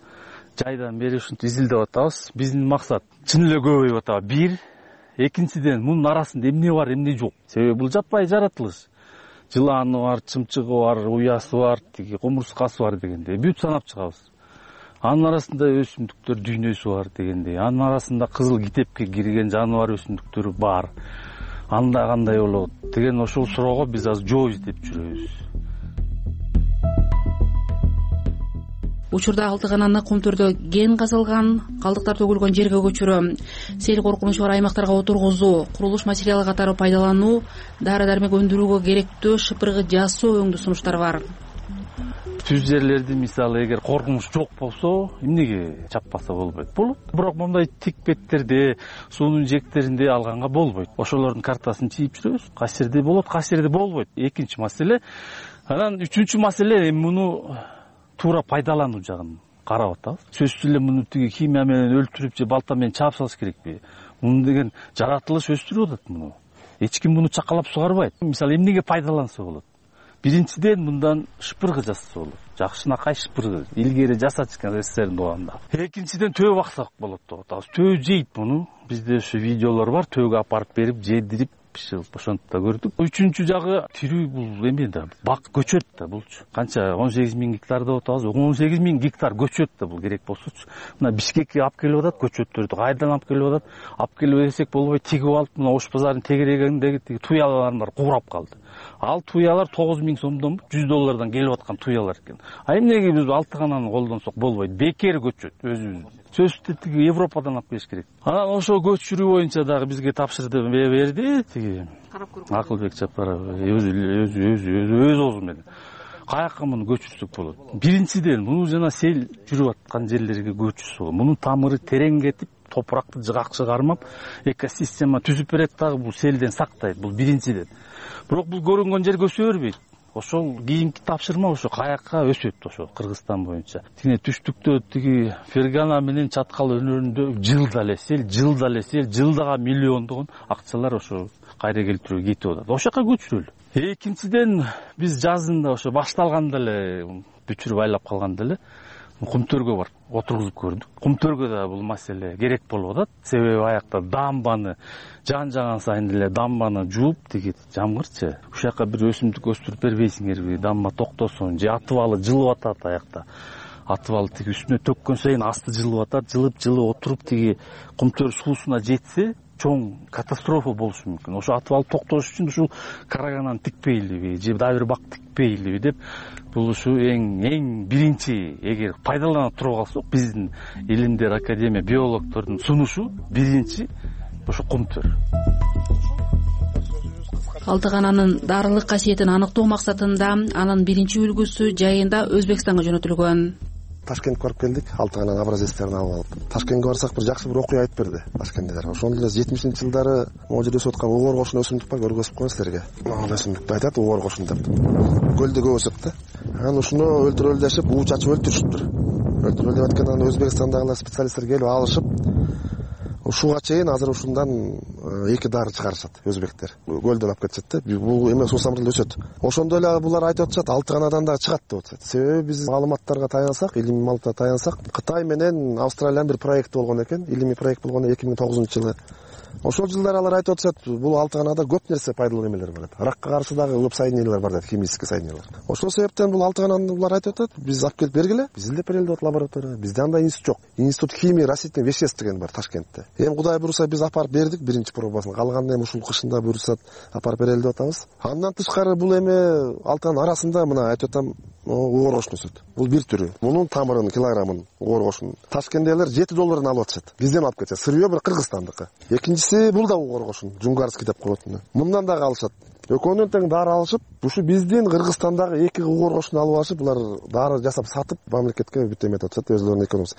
жайдан бери ушинтип изилдеп атабыз. Биздин максат чын эле көбөйүп атабы. Бир, экинчиден мунун арасында эмне бар, эмне жок. Себеби бул жапайы жаратылыш. жыланы бар, чымчыгы бар, уясы бар, тиги кумурскасы бар дегендей бүт санап чыгабыз. Анын арасында өсүмдүктөр дүйнөсү бар дегендей, анын арасында кызыл китепке кирген жаныбар өсүмдүктөрү бар. Анда кандай болот деген ошол суроого биз азыр жооп издеп жүрөбүз. Учурда Алтыгананы Кумтөрдө кен казылган, калдыктар төгүлгөн жерге көчүрүү, сел коркунучу бар аймактарга отургузуу, курулуш материалы катары пайдалануу, дары-дармек өндүрүүгө керектүү шыпыргы жасоо өңдүү сунуштар бар. Түз жерлерди мисалы эгер коркунуч жок болсо, эмнеге чаппаса болбойт? Болот. Бирок мындай тик беттерде, суунун жектеринде алганга болбойт. Ошолордун картасын чийип жүрөбүз. Кайсы жерде болот, кайсы жерде болбойт. Экинчи маселе. Анан үчүнчү маселе муну туура пайдалануу жагын карап атабыз. Сөзсүз эле муну тиги химия менен өлтүрүп же балта менен чаап салыш керекпи? Муну деген жаратылыш өстүрүп атат муну. Эч ким муну чакалап сугарбайт. Мисалы эмнеге пайдаланса болот? Биринчиден мындан шыпыргы жасаса болот. Жакшынакай шыпыргы. Илгери жасачкан СССРдин убагында. Экинчиден төө баксак болот деп атабыз. Төө жейт муну. Бизде ошо видеолор бар. Төөгө апарып берип, жедирип, биширип ошентип да көрдүк. Үчүнчү жагы тирүү бул эме да, бак көчөт да булчу. Канча 18 000 гектар деп атабыз. 18 000 гектар көчөт да бул керек болсочу. Мына Бишкекке алып келип атат көчөттөрдү. Кайдан алып келип атат? Алып келип берсек болбой, тигип алып, мына Ош базарынын тегерегиндеги тиги туялар бар, курап калды. Ал туялар 9 000 сомдон $100 келип аткан туялар экен. А эмнеге биз Алтыгананы колдонсок болбойт? Бекер көчөт өзүбүз. Сөзсүз тиги Европадан алып келиш керек. Анан ошо көчүрүү боюнча дагы бизге тапшырды берди тиги Акылбек Жапаров өз оозу менен. Каяка муну көчүрсөк болот? Биринчиден муну жана сел жүрүп аткан жерлерге көчүрсө болот. Мунун тамыры терең кетип, топуракты жыгакчы кармап, экосистема түзүп берет дагы, бул селден сактайт. Бул биринчиден. Бирок бул көрүнгөн жерге өсө бербейт. Ошол кийинки тапшырма ошо каяка өсөт ошо Кыргызстан боюнча. Тиги түштүктө тиги Фергана менен Чаткал өнөрүндө жылда эле жылдага миллиондогон акчалар ошо кайра келтирүүгө кетип атат. Ошол жака көчүрөлү. Экинчиден биз жазында ошо башталганда эле бүчүрүп айлап калганда эле Кумтөргө бар, отургузуп көрдүк. Кумтөргө да бул маселе керек болуп атат. Себеби аякта дамбаны жан сайын эле дамбаны жууп тиги жамгырчы. Ушул жака бир өсүмдүк өстүрүп бербейсиңерби? Дамба токтосун, же атыбалы жылып атат аякта. Атыбалы тиги үстүнө төккөн сайын асты жылып атат, жылып отуруп тиги Кумтөр суусуна жетсе, чоң катастрофа болушу мүмкүн. Ошо атыбалы токтош үчүн ушул карагананы тикпейлиби, же дагы бир бак тикпейлиби деп бул ушу эң биринчи эгер пайдалана туруп калсак, биздин илимдер академия биологдордун сунушу биринчи ошо Кумтөр. Алтыгананын дарылык касиетин аныктоо максатында анын биринчи үлгүсү жайында Өзбекстанга жөнөтүлгөн. Ташкентке барып келдик, Алтыгананын образецтерин алып алып. Ташкентке барсак бир жакшы бир окуя айтып берди ташкенттер. Ошондо эле 70-жылдары могу жерде өсүп аткан угор кошун өсүмдүк бар, көргөзүп коеюн силерге. Могу өсүмдүктү айтат угор кошун деп. Көлдө көп өсөт да. Анан ушуну өлтүрөлү дешип, уу чачып өлтүрүшүптүр. Өлтүрөлү деп аткандан Өзбекстандагылар специалисттер келип алышып, ушуга чейин азыр ушундан 2 дары чыгарышат өзбектер. Көлдөн алып кетишет да. Бул эме суусамырда өсөт. Ошондо эле булар айтып атышат, Алтыганадан дагы чыгат деп атышат. Себеби биз маалыматтарга таянсак, илимий маалыматка таянсак, Кытай менен Австралиянын бир проекти болгон экен. Илимий проект болгон 2009-жылы. Ошол жылдары алар айтып атышат, бул Алтыганада көп нерсе пайдалуу эмелер бар. Ракка каршы дагы көп соединениялар бар дейт, химический соединениялар. Ошол себептен бул Алтыгананы булар айтып атат, биз алып келип бергиле. Биз илдеп берели деп лаборатория. Бизде андай институт жок. Институт химии растительных веществ деген бар Ташкентте. Эми Кудай буйруса биз апарып бердик биринчи пробасын. Калганын эми ушул кышында буйрусат апарып берели деп атабыз. Андан тышкары бул эми Алтыган арасында мына айтып атам, угор кошун өсөт. Бул бир түрү. Мунун тамырын, килограммын угор кошун Ташкенттегилер $7 алып атышат. Бизден алып кетет. Сырьё бир Кыргызстандыкы. Экинчиси бул да угор кошун, Жунгарский деп коет муну. Мындан дагы алышат. Экөөнүн тең дары алышып, ушу биздин Кыргызстандагы 2 угор кошун алып алышып, булар дары жасап сатып, мамлекетке бүт эметип атышат, өзлөрүнүн экономикасы.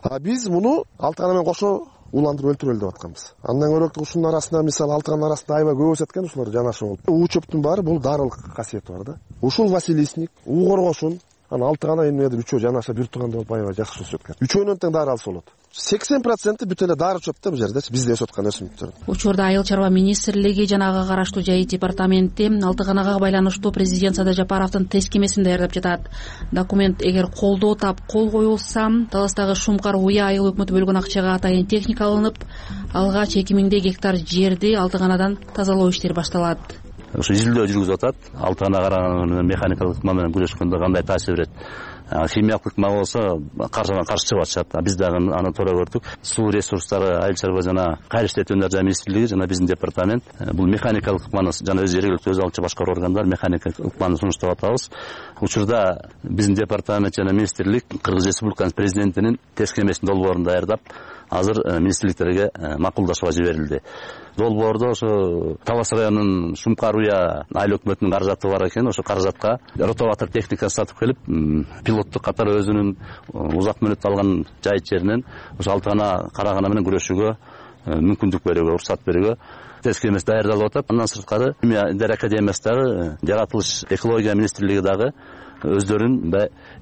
А биз муну Алтыгана менен кошо уландырып өлтүрөлү деп атканбыз. Андан көрөк ушунун арасында мисалы Алтыганын арасында аябай көп өсөт экен ушулар жанашып болуп. У чөптүн баары бул дарылык касиети бар да. Ушул Василисник, угор кошун, анан Алтыгана эмнедир үчөө жанаша бир тууганда болуп аябай жакшы өсөт экен. Үчөөнүн тең дары алса болот. 80% бүт эле дары чөп да бул жердечи, бизде өсүп аткан өсүмдүктөр. Учурда Айыл чарба министрлиги жана ага караштуу жай департаменти Алтыганага байланыштуу президент Садыр Жапаровдун тескемесин даярдап жатат. Документ эгер колдоо тап кол коюлса, Таластагы Шумкар Уя айыл өкмөтү бөлгөн акчага атайын техника алынып, алгач 2000 гектар жерди Алтыганадан тазалоо иштери башталат. ошо изилдөө жүргүзүп атат. Алтыгана караган менен механикалык ыкма менен күрөшкөндө кандай таасир берет. Химиялык ыкма болсо каршы чыгып атышат. Биз дагы аны туура көрдүк. Суу ресурстары, айыл чарба жана кайра иштетүүнү жана министрлиги жана биздин департамент бул механикалык ыкманы жана өз жергиликтүү өз алчу башкаруу органдар механикалык ыкманы сунуштап атабыз. Учурда биздин департамент жана министрлик Кыргыз Республикасынын президентинин тескемесин долбоорун даярдап, азыр министрликтерге макулдашууга жиберилди. Долбоордо ошо Талас районунун Шумкаруя айыл өкмөтүнүн каражаты бар экен. Ошо каражатка ротоватор техникасын сатып келип, пилоттук катары өзүнүн узак мөөнөт алган жайыт жеринен ошо Алтыгана карагана менен күрөшүүгө мүмкүндүк берүүгө, уруксат берүүгө тескемеси даярдалып атат. Андан сырткары Дер академиясы дагы, жаратылыш экология министрлиги дагы өздөрүнүн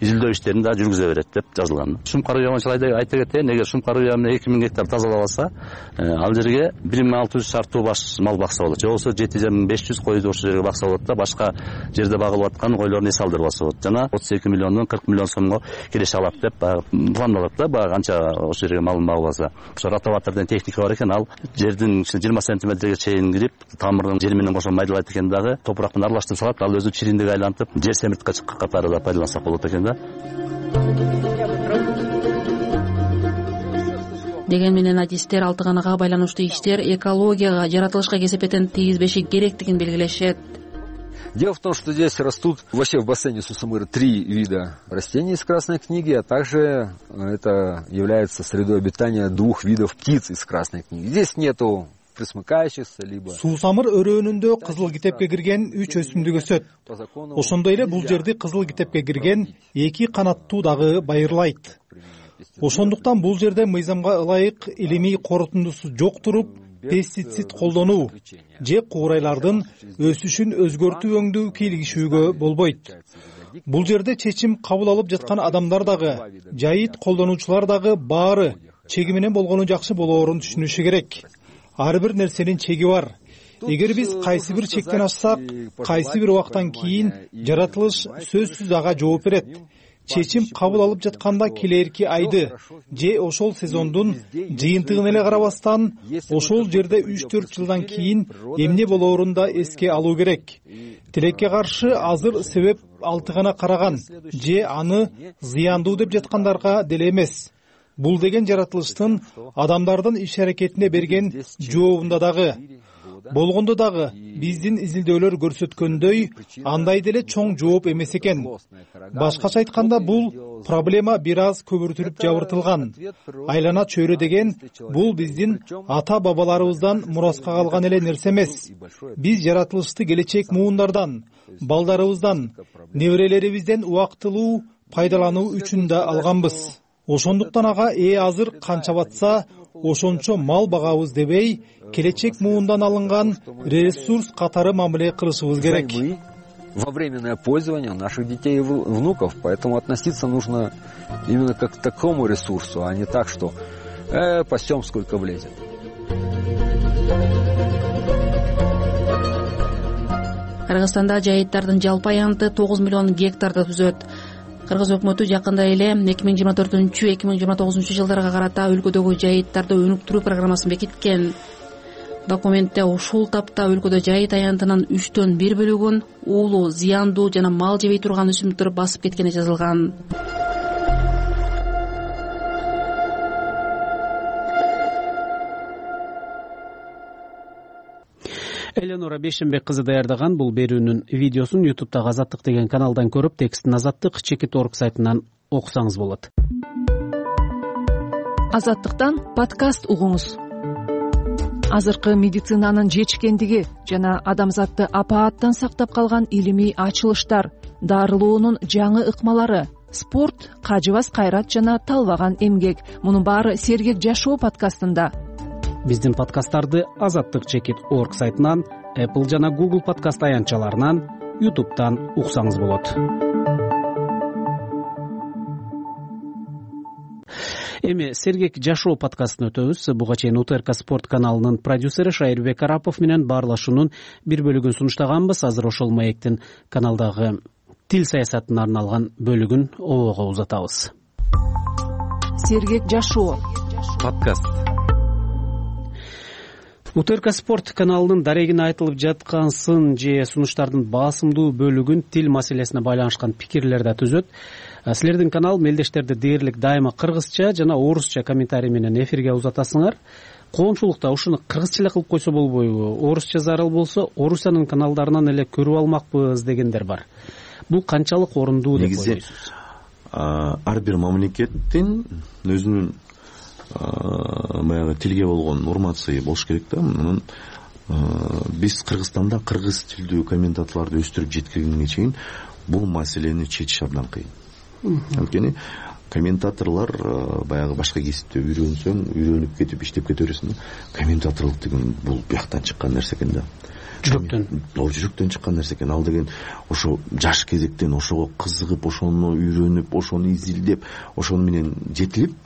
изилдөө иштерин да жүргүзө берет деп жазылган. Шумкаруя боюнча айта кетейин, эгер Шумкаруя менен 2000 гектар тазалап алса, ал жерге 1600 шартуу баш мал бакса болот. Же болбосо 7500 койду ошол жерге бакса болот да, башка жерде багылып аткан койлордун эс алдырбаса болот. Жана 32 миллиондон 40 миллион сомго келише алат деп пландалат да, канча ошол жерге малын багып алса. Ошо ротоватордун техника бар экен, ал жердин 20 сантиметрге чейин кирип, тамырдын жери менен кошо майдалайт экен дагы, топурак менен аралаштырып салат, ал өзү чириндик айлантып, жер семиртке чыккан катары да пайдалансак болот экен да. Деген менен адистер Алтыганага байланыштуу иштер экологияга, жаратылышка кесепетин тийгизбеши керектигин белгилешет. Дело в том, что здесь растут вообще в бассейне Сусамыры 3 вида растений из Красной книги, а также это является средой обитания 2 видов птиц из Красной книги. Здесь нету присмыкающихся, либо... Суусамыр өрөөнүндө кызыл китепке кирген 3 өсүмдүк өсөт. Ошондой эле бул жерди кызыл китепке кирген 2 канаттуу дагы байырлайт. Ошондуктан бул жерде мыйзамга ылайык илимий корутундусу жок туруп, пестицид колдонуу же куурайлардын өсүшүн өзгөртүү өңдүү кийлигишүүгө болбойт. Бул жерде чечим кабыл алып жаткан адамдар дагы, жайыт колдонуучулар дагы баары чеги менен болгону жакшы болоорун түшүнүшү керек. Ар бир нерсенин чеги бар. Эгер биз кайсы бир чектен ашсак, кайсы бир убактан кийин жаратылыш сөзсүз ага жооп берет. Чечим кабыл алып жатканда келерки айды же ошол сезондун жыйынтыгына эле карабастан, ошол жерде 3-4 жылдан кийин эмне болоорун да эске алуу керек. Тилекке каршы азыр себеп Алтыгана караган же аны зыяндуу деп жаткандарга деле эмес. Бул деген жаратылыштын адамдардын иш-аракетине берген жообунда дагы. Болгондо дагы биздин изилдөөлөр көрсөткөндөй андай деле чоң жооп эмес экен. Башкача айтканда бул проблема бир аз көбүртүлүп жабыртылган. Айлана чөйрө деген бул биздин ата бабаларыбыздан мураска калган эле нерсе эмес. Биз жаратылышты келечек муундардан, балдарыбыздан, неберелерибизден убактылуу пайдалануу үчүн да алганбыз. Ошондуктан ага азыр канча батса, ошончо мал багабыз дебей, келечек муундан алынган ресурс катары мамиле кылышыбыз керек. Во временное пользование наших детей и внуков, поэтому относиться нужно именно как к такому ресурсу, а не так, что пасем сколько влезет. Кыргызстанда жайыттардын жалпы аянты 9 миллион гектарды түзөт. Кыргыз өкмөтү жакында эле 2024-2029 жылдарга карата өлкөдөгү жайыттарды өнүктүрүү программасын бекиткен. Документте ушул тапта өлкөдө жайыт аянтынын 3/1 бөлүгүн уулуу, зыяндуу жана мал жебей турган өсүмдүктөр басып кеткени жазылган. Эленора Бешенбек кызы даярдаган бул берүүнүн видеосун YouTube'дагы Азаттык деген каналдан көрүп, текстин Азаттык.org сайтынан окусаңыз болот. Азаттыктан подкаст угуңуз. Азыркы медицинанын жетишкендиги жана адамзатты апааттан сактап калган илимий ачылыштар, дарылоонун жаңы ыкмалары, спорт, кажыбас кайрат жана талбаган эмгек. Мунун баары Сергек жашоо подкастында. Биздин подкасттарды Азаттык.org сайтынан, Apple жана Google подкаст аянтчаларынан, YouTube'дан уксаңыз болот. Эми Сергек жашоо подкастын өтөбүз. Буга чейин УТРК спорт каналынын продюсери Шайырбек Арапов менен баарлашуунун бир бөлүгүн сунуштаганбыз. Азыр ошол маектин каналдагы тил саясатына арналган бөлүгүн обого узатабыз. Сергек жашоо подкаст. УТРК Спорт каналынын дарегине айтылып жаткан сын же сунуштардын басымдуу бөлүгүн тил маселесине байланышкан пикирлер да түзөт. Силердин канал мелдештерди дээрлик дайыма кыргызча жана орусча комментарий менен эфирге узатасыңар. Коомчулукта ушуну кыргызча эле кылып койсо болбойбу? Орусча зарыл болсо, орусчанын каналдарынан эле көрүп алмакпыз дегендер бар. Бул канчалык орундуу деп ойлойсуз? Негизи ар бир мамлекеттин өзүнүн баягы тилге болгон урматысы болуш керек да. Мунун биз Кыргызстанда кыргыз тилдүү комментаторлорду өстүрүп жеткиргенге чейин бул маселени чечиш абдан кыйын. Анткени комментаторлор баягы башка кесипте үйрөнүп кетип иштеп кете бересиң да. Комментаторлук деген бул бияктан чыккан нерсе экен да. Жүрөктөн чыккан нерсе экен. Ал деген ошо жаш кезектен ошого кызыгып, ошону үйрөнүп, ошону изилдеп, ошону менен жетилип,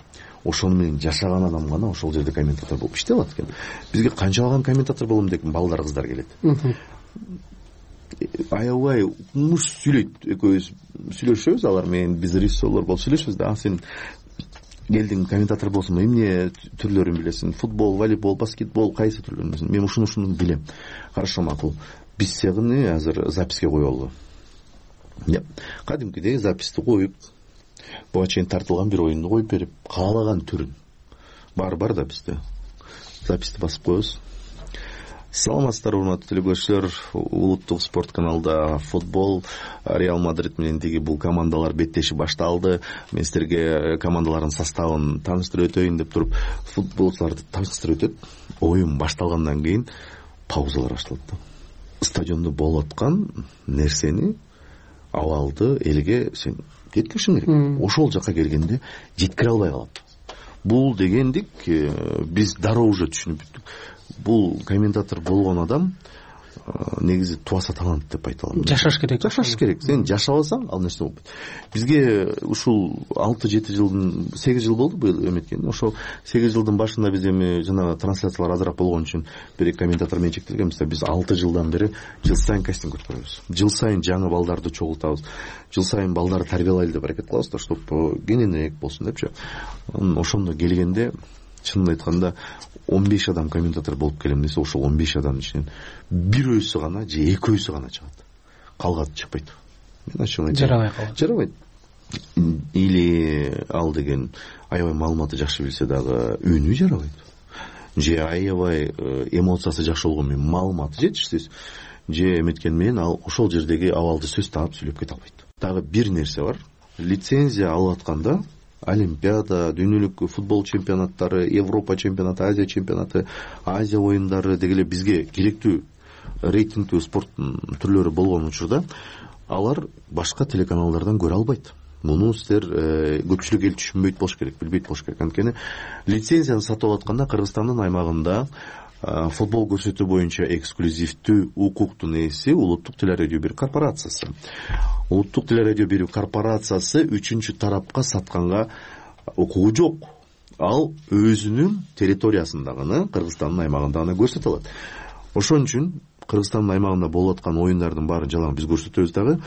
ошону менен жашаган адам гана ошол жерде комментатор болуп иштей алат экен. Бизге канчалаган комментатор болом деген балдар, кыздар келет. Аябай муш сүйлөйт, экөөбүз сүйлөшөбүз алар менен, биз режиссерлор болуп сүйлөшөбүз да. Сен келдиң, комментатор болсуң, эмне түрлөрүн билесиң? Футбол, волейбол, баскетбол, кайсы түрлөрүн билесиң? Мен ушуну билем. Хорошо, макул. Биз сени азыр записке коелу. Кадимкидей записти коюп, буга чейин тартылган бир оюнду коюп берип, каалаган түрүн бар да бизде. Записти басып коебуз. Саламатсыздар, урматтуу телекөрүүчүлөр. Улуттук спорт каналда футбол, Реал Мадрид менен тиги бул командалар беттеши башталды. Мен силерге командалардын составын тааныштырып өтөйүн деп туруп, футболчуларды тааныштырып өтөт. Оюн башталгандан кийин паузалар башталат да. Стадиондо болуп аткан нерсени, абалды элге сен жеткиришиң керек. Ошол жака келгенде жеткире албай калат. Бул дегендик биз дароо уже түшүнүп бүттүк. Бул комментатор болгон адам негизи туаса талант деп айта алам. Жашаш керек. Жашаш керек. Сен жашабасаң, ал нерсе болбойт. Бизге ушул 6-7 жылдын 8 жыл болду быйыл эметкен. Ошол 8 жылдын башында биз эми жана трансляциялар азыраак болгон үчүн бир комментатор менен чектелгенбиз да. Биз 6 жылдан бери жыл сайын кастинг өткөрөбүз. Жыл сайын жаңы балдарды чогултабыз. Жыл сайын балдарды тарбиялайлы деп аракет кылабыз да, чтобы кененирээк болсун депчи. Ошондо келгенде чынын айтканда 15 адам комментатор болуп келем десе, ошол 15 адамдын ичинен бирөөсү гана же экөөсү гана чыгат. Калганы чыкпайт. Мен ачык айтам. Жарабайт. Или ал деген аябай маалыматы жакшы билсе дагы үнү жарабайт. Же аябай эмоциясы жакшы болгон менен маалыматы жетишсиз. Же эметкен менен ал ошол жердеги абалды сөз таап сүйлөп кете албайт. Дагы бир нерсе бар. Лицензия алып атканда Олимпиада, дүйнөлүк футбол чемпионаттары, Европа чемпионаты, Азия чемпионаты, Азия оюндары дегеле бизге керектүү рейтингдүү спорттун түрлөрү болгон учурда алар башка телеканалдардан көрө албайт. Муну силер көпчүлүк эл түшүнбөйт болуш керек, билбейт болуш керек. Анткени лицензияны сатып атканда Кыргызстандын аймагында футбол көрсөтүү боюнча эксклюзивдүү укуктун ээси Улуттук телерадио берүү корпорациясы. Улуттук телерадио берүү корпорациясы үчүнчү тарапка сатканга укугу жок. Ал өзүнүн территориясындагыны, Кыргызстандын аймагында гана көрсөтө алат. Ошон үчүн Кыргызстандын аймагында болуп аткан оюндардын баарын жалаң биз көрсөтөбүз дагы,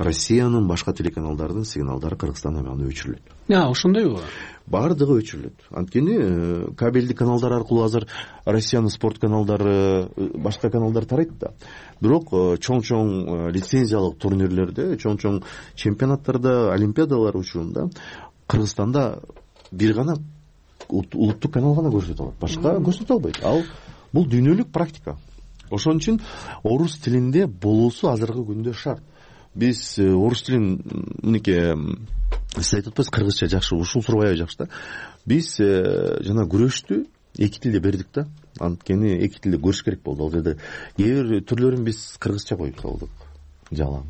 Россиянын башка телеканалдардын сигналдары Кыргызстандын аймагында өчүрүлөт. Ошондойбу? Бардыгы өчүрүлөт. Анткени кабелдик каналдар аркылуу азыр Россиянын спорт каналдары, башка каналдар тарайт да. Бирок чоң-чоң лицензиялык турнирлерде, чоң-чоң чемпионаттарда, олимпиадалар учурунда Кыргызстанда бир гана улуттук канал гана көрсөтө алат. Башка көрсөтө албайт. Ал бул дүйнөлүк практика. Ошон үчүн орус тилинде болуусу азыркы күндө шарт. Биз орус тилин мынеке сиз айтып атпайсыз, кыргызча жакшы, ушул суроо аябай жакшы да. Биз жана күрөштү эки тилде бердик да. Анткени эки тилде көрүш керек болду. Ал жерде кээ бир түрлөрүн биз кыргызча коюп салдык. Жалаң.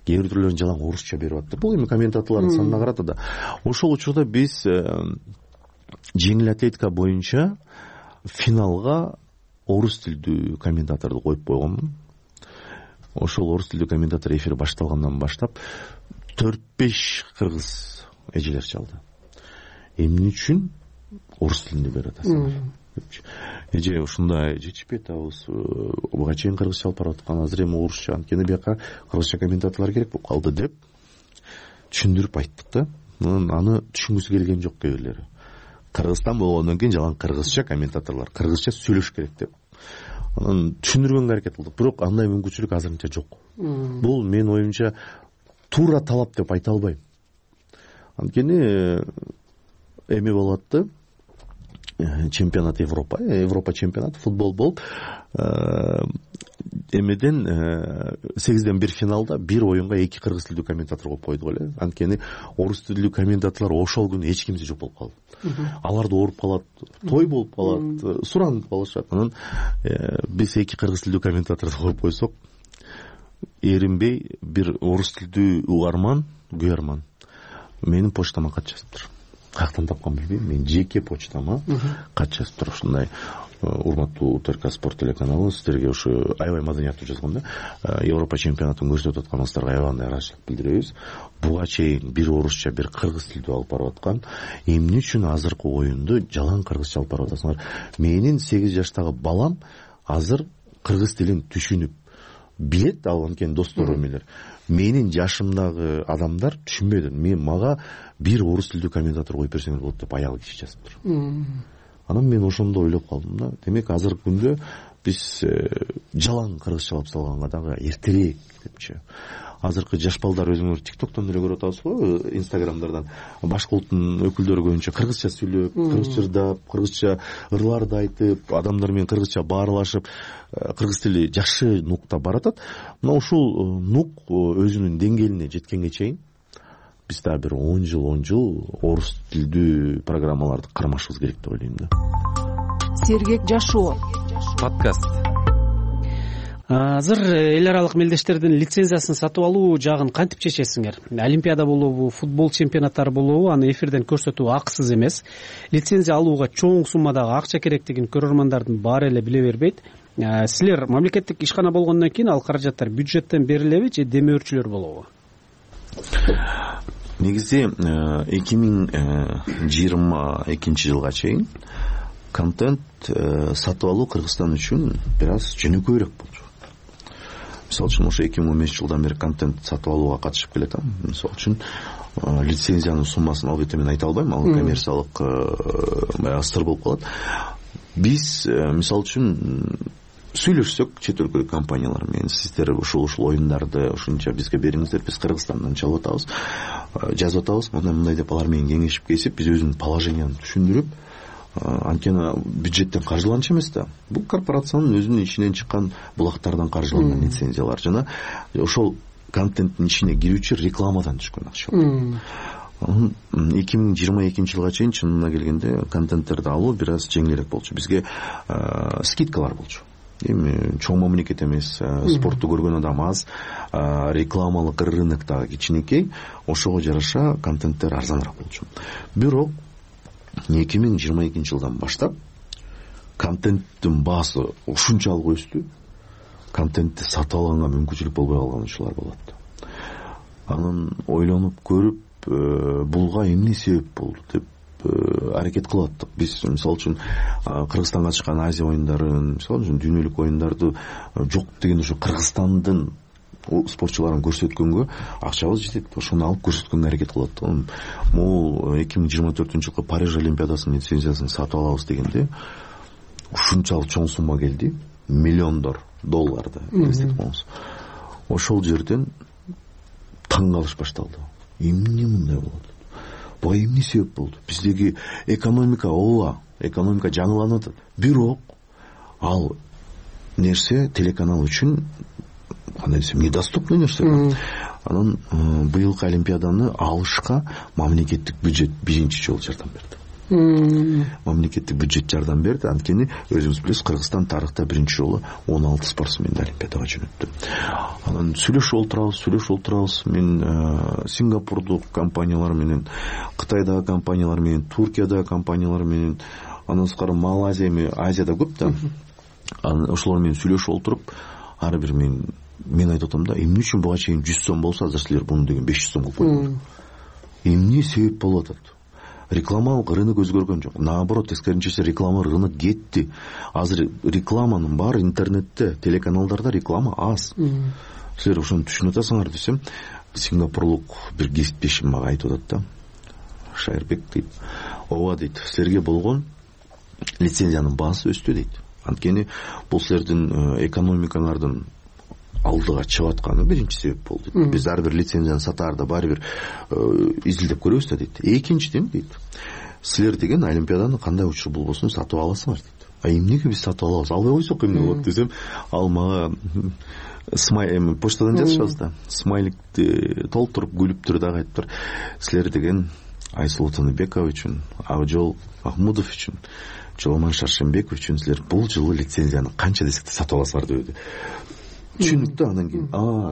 Кээ бир түрлөрүн жалаң орусча берип аттык. Бул эми комментаторлордун санына карата да. Ошол учурда биз жеңил атлетика боюнча финалга орус тилдүү комментаторду коюп койгонмун. Ошол орус тилдүү комментатор эфир башталгандан баштап 4-5 кыргыз эжелер чалды. Эмне үчүн орус тилинде берип атасыңар? Эже ушундай жетишпейт абыз. Буга чейин кыргызча алып барып аткан, азыр эми орусча, анткени бияка кыргызча комментаторлор керек болуп калды деп түшүндүрүп айттык да. Аны түшүнгүсү келген жок кээ бирлери. Кыргызстан болгондон кийин жалаң кыргызча комментаторлор кыргызча сүйлөш керек деп анан түшүндүргөнгө аракет кылдык, бирок андай мүмкүнчүлүк азырынча жок. Бул менин оюмча туура талап деп айта албайм. Анткени эми болот да, чемпионат Европа чемпионаты футбол болуп, эмеден 8-1 финалда бир оюнга 2 кыргыз тилдүү комментатор коюп койдук эле. Анткени орус тилдүү комментаторлор ошол күнү эч кимси жок болуп калды. Алар да ооруп калат, той болуп калат, суранып калышат. Анан биз 2 кыргыз тилдүү комментаторду коюп койсок, эринбей бир орус тилдүү угарман, күйөрман менин почтама кат жазыптыр. Каяктан тапкан билбейм, мен жеке почтама кат жазыптыр. Ушундай: урматтуу ТРК спорт телеканалы, сиздерге ушу аябай маданияттуу жазган да, Европа чемпионатын көрсөтүп атканыңыздарга аябай ыраазычылык билдиребиз. Буга чейин бир орусча, бир кыргыз тилдүү алып барып аткан, эмне үчүн азыркы оюнду жалаң кыргызча алып барып атасыңар? Менин 8 жаштагы балам азыр кыргыз тилин түшүнүп билет, ал анткени достору эмелер. Менин жашымдагы адамдар түшүнбөйдү. Мага бир орус тилдүү комментатор коюп берсеңер болот деп аял киши жазыптыр. Анан мен ошондо ойлоп калдым да, демек азыркы күндө биз жалаң кыргызчалап салганга дагы эртерээк депчи. Азыркы жаш балдар, өзүңөр ТикТоктон эле көрүп атасызбы, Инстаграмдардан башка улуттун өкүлдөрү көбүнчө кыргызча сүйлөп, кыргызча ырдап, кыргызча ырларды айтып, адамдар менен кыргызча баарлашып, кыргыз тили жакшы нукта баратат. Мына ушул нук өзүнүн деңгээлине жеткенге чейин биз дагы бир 10 жыл орус тилдүү программаларды кармашыбыз керек деп ойлойм да. Сергек жашоо подкаст. Азыр эл аралык мелдештердин лицензиясын сатып алуу жагын кантип чечесиңер? Олимпиада болобу, футбол чемпионаттары болобу, аны эфирден көрсөтүү акысыз эмес. Лицензия алууга чоң суммадагы акча керектигин көрөрмандардын баары эле биле бербейт. Силер мамлекеттик ишкана болгондон кийин ал каражаттар бюджеттен берилеби же демөөрчүлөр болобу? Негизи 2022 жылга чейин контент сатып алуу Кыргызстан үчүн бир аз жөнөкөйрөөк болчу. Мисалы үчүн ошо 2015 жылдан бери контент сатып алууга катышып келатам. Мисалы үчүн лицензиянын суммасын албетте мен айта албайм, ал коммерциялык сыр болуп калат. Биз мисалы үчүн сүйлөшсөк чет өлкөлүк компаниялар менен, сиздер ушул оюндарды ушунча бизге бериңиздер, биз Кыргызстандан чалып атабыз, жазып атабыз, мындай деп алар менен кеңешип кесип, биз өзүнүн положениябызды түшүндүрүп, анткени бюджеттен каржыланчу эмес да. Бул корпорациянын өзүнүн ичинен чыккан булактардан каржыланган лицензиялар жана ошол контенттин ичине кирүүчү рекламадан түшкөн акча. 2022 жылга чейин чынына келгенде контенттерди алуу бир аз жеңилирээк болчу. Бизге скидкалар болчу. Эми чоң мамлекет эмес, спортту көргөн адам аз, рекламалык рынок дагы кичинекей, ошого жараша контенттер арзаныраак болчу. Бирок 2022 жылдан баштап контенттин баасы ушунчалык өстү, контентти сатып алганга мүмкүнчүлүк болбой калган учурлар болот. Анан ойлонуп көрүп, булга эмне себеп болду деп аракет кылып аттык. Биз мисалы үчүн Кыргызстанга чыккан Азия оюндарын, мисалы үчүн дүйнөлүк оюндарды жок деген ошо Кыргызстандын спортчуларын көрсөткөнгө акчабыз жетет, ошону алып көрсөткөнгө аракет кылат. Могул 2024 жылкы Париж Олимпиадасынын лицензиясын сатып алабыз дегенде ушунчалык чоң сумма келди, $миллиондор долларды эстетип коңуз. Ошол жерден таң калыш башталды. Эмне мындай болот? Буга эмне себеп болду? Биздеги экономика экономика жаңыланып атат. Бирок ал нерсе телеканал үчүн кандай десем, недоступный нерсе. Анан быйылкы Олимпиаданы алышка мамлекеттик бюджет биринчи жолу жардам берди. Мамлекеттик бюджет жардам берди. Анткени өзүңүз билесиз, Кыргызстан тарыхта биринчи жолу 16 спортсменди Олимпиадага жөнөттү. Анан сүйлөшүп отурабыз. Мен Сингапурдук компаниялар менен, Кытайдагы компаниялар менен, Туркиядагы компаниялар менен, андан сырткары Малайзия, Азияда көп да. Ошолор менен сүйлөшүп отуруп, ар бир мен айтып атам да, эмне үчүн буга чейин 100 сом болсо, азыр силер буну деген 500 сом кылып койдуңар. Эмне себеп болуп атат? Рекламалык рынок өзгөргөн жок. Наоборот, тескерисинче реклама рынок кетти. Азыр рекламанын баары интернетте, телеканалдарда реклама аз. Силер ошону түшүнүп атасыңар десем, сингапурлук бир кесиптешим мага айтып атат да. Шайырбек дейт, ооба дейт, силерге болгон лицензиянын баасы өстү дейт. Анткени бул силердин экономикаңардын алдыга чыгып атканы биринчи себеп болду. Биз ар бир лицензияны сатаарда баары бир изилдеп көрөбүз да дейт. Экинчиден дейт, силер деген олимпиаданы кандай учур болбосун сатып аласыңар дейт. Эмнеге биз сатып алабыз? Албай койсок эмне болот десем, ал мага почтадан жазышабыз да. Смайликти толтуруп күлүп туруп дагы айтыптыр. Силер деген Айсулуу Тыныбекова үчүн, Акжол Махмудов үчүн, Жоломан Шаршембеков үчүн силер бул жылы лицензияны канча десек да сатып аласыңар деп. Түшүнүктүү. Андан кийин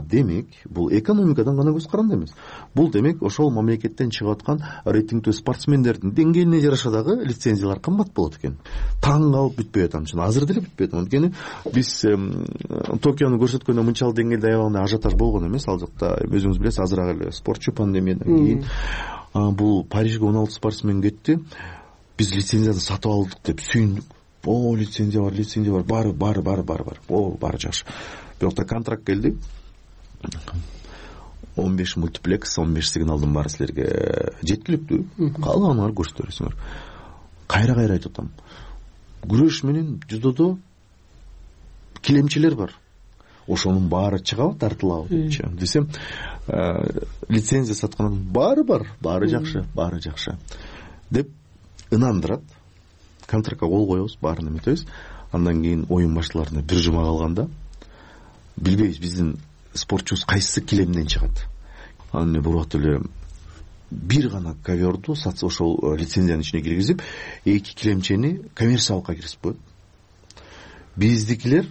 демек бул экономикадан гана көз каранды эмес. Бул демек ошол мамлекеттен чыгып аткан рейтингдүү спортсмендердин деңгээлине жараша дагы лицензиялар кымбат болот экен. Таң калып бүтпөй атам. Азыр деле бүтпөй атам. Анткени биз Токиону көрсөткөндө мынчалык деңгээлде аябагандай ажиотаж болгон эмес. Ал жакта өзүңүз билесиз, азыраак эле спортчу пандемиядан кийин бул Парижге 16 спортсмен кетти. Биз лицензияны сатып алдык деп сүйүндүк. Лицензия бар, баары жакшы. Бирокта контракт келди. 15 мультиплекс, 15 сигналдын баары силерге жеткиликтүү. Калганыңар көрсөтө бересиңер. Кайра айтып атам. Күрөш менен жудодо килемчилер бар. Ошонун баары чыгабы, тартылабы депчи. Десем, лицензия сатканын баары бар, баары жакшы деп ынандырат. Контрактка кол коебуз, баарын эметебиз. Андан кийин оюн башталарына бир жума калганда билбейбиз биздин спортчубуз кайсы килемден чыгат. Аны бурат эле бир гана коверду сатса ошол лицензиянын ичине киргизип, эки килемчени коммерциялыкка киргизип коет. Биздикилер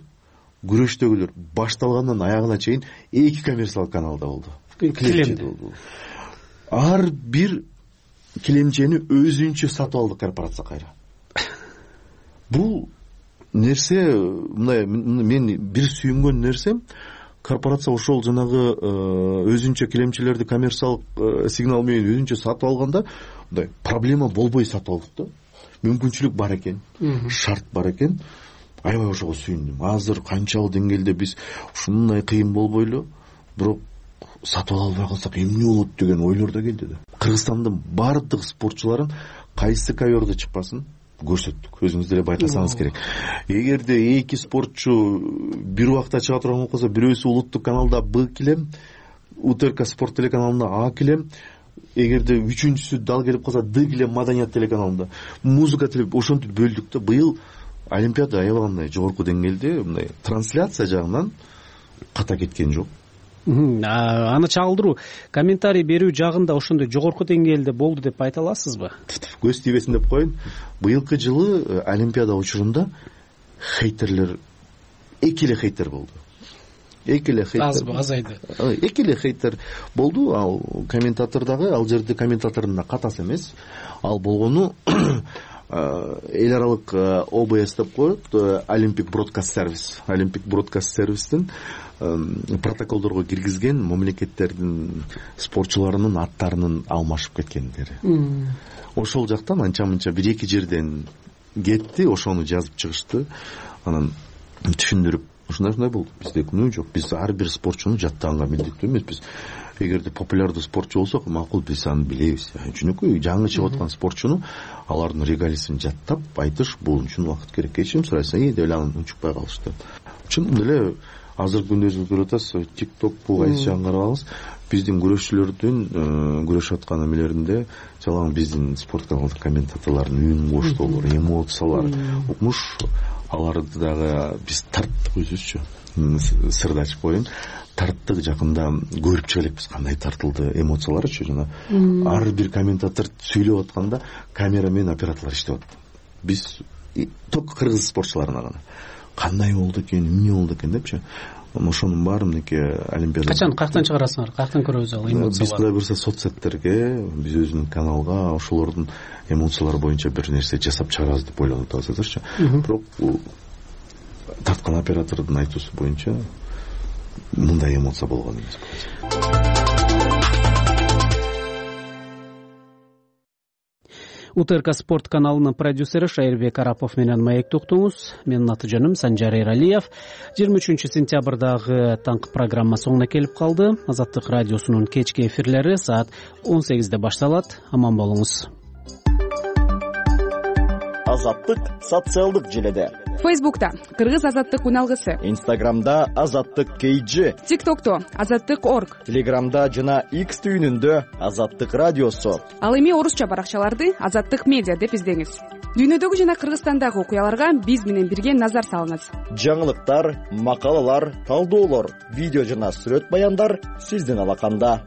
күрөштөгүлөр башталгандан аягына чейин эки коммерциялык каналда болду. Килемде. Ар бир килемчени өзүнчө сатып алды корпорация кайра. Бул нерсе мындай мен бир сүйүнгөн нерсем, корпорация ошол жанагы өзүнчө килемчилерди коммерциялык сигнал менен өзүнчө сатып алганда мындай проблема болбой сатып алдык да. Мүмкүнчүлүк бар экен, шарт бар экен. Аябай ошого сүйүндүм. Азыр канчалык деңгээлде биз ушундай кыйын болбойлу, бирок сатып ала албай калсак эмне болот деген ойлор да келди да. Кыргызстандын бардык спортчуларын кайсы коверде чыкпасын көрсөттүк. Өзүңүз деле байкасаңыз керек. Эгерде эки спортчу бир убакта чыга турган болуп калса, бирөөсү улуттук каналда Б килем, УТРК спорт телеканалында А килем, эгерде үчүнчүсү дал келип калса Д килем Маданият телеканалында, музыка телеп ошентип бөлдүк да. Быйыл олимпиада аябагандай жогорку деңгээлде мындай трансляция жагынан ката кеткен жок. Аны чагылдыруу, комментарий берүү жагында ошондой жогорку деңгээлде болду деп айта аласызбы? Көз тийбесин деп коеюн. Быйылкы жылы олимпиада учурунда хейтерлер эки эле хейтер болду. Азбы, азайды. Эки эле хейтер болду. Ал комментатор дагы, ал жерде комментатордун да катасы эмес. Ал болгону эл аралык ОБС деп коет, Olympic Broadcast Service. Olympic Broadcast Service'тин протоколдорго киргизген мамлекеттердин спортчуларынын аттарынын алмашып кеткендери. Ошол жактан анча-мынча бир эки жерден кетти, ошону жазып чыгышты. Анан түшүндүрүп, ушундай болду. Бизде күнөө жок. Биз ар бир спортчуну жаттаганга милдеттүү эмеспиз. Эгерде популярдуу спортчу болсок, макул биз аны билебиз. Чүнөкөй жаңы чыгып аткан спортчуну алардын регалисин жаттап айтыш бул үчүн убакыт керек. Кечирим сурайсың, деп эле аны унчукпай калышты. Чын эле азыркы күндө көрүп атасыз, TikTok бул кайсы жагын карабаңыз, биздин күрөшчүлөрдүн күрөшүп аткан эмелеринде жалаң биздин спорт каналдын комментаторлордун үн коштоолору, эмоциялар, укмуш, аларды дагы биз тарттык өзүбүзчү. Сырды ачып коеюн, тарттык, жакында көрүп чыга элекпиз кандай тартылды эмоцияларычы. Жана ар бир комментатор сүйлөп атканда камера менен операторлор иштеп атты. Биз только кыргыз спортчуларына гана кандай болду экен, эмне болду экен депчи. Ошонун баары мынеки олимпиада. Качан, каяктан чыгарасыңар? Каяктан көрөбүз ал эмоцияларды? Биз кудай буюрса соцсеттерге, биз өзүнүн каналга ошолордун эмоциялары боюнча бир нерсе жасап чыгарабыз деп ойлонуп атабыз азырчы. Бирок тарткан оператордун айтуусу боюнча мындай эмоция болгон эмес. УТРК спорт каналынын продюсери Шайырбек Арапов менен маекти уктуңуз. Менин аты жөнүм Санжар Эралиев. 23-сентябрдагы таңкы программа соңуна келип калды. Азаттык радиосунун кечки эфирлери саат 18-де башталат. Аман болуңуз. Азаттык социалдык желеде. Фейсбукта Кыргыз азаттык үналгысы, Инстаграмда азаттык KG, ТикТокто азаттык.org, Телеграмда жана X түйүнүндө азаттык радиосу. Ал эми орусча баракчаларды азаттык медиа деп издеңиз. Дүйнөдөгү жана Кыргызстандагы окуяларга биз менен бирге назар салыңыз. Жаңылыктар, макалалар, талдоолор, видео жана сүрөт баяндар сиздин алаканда.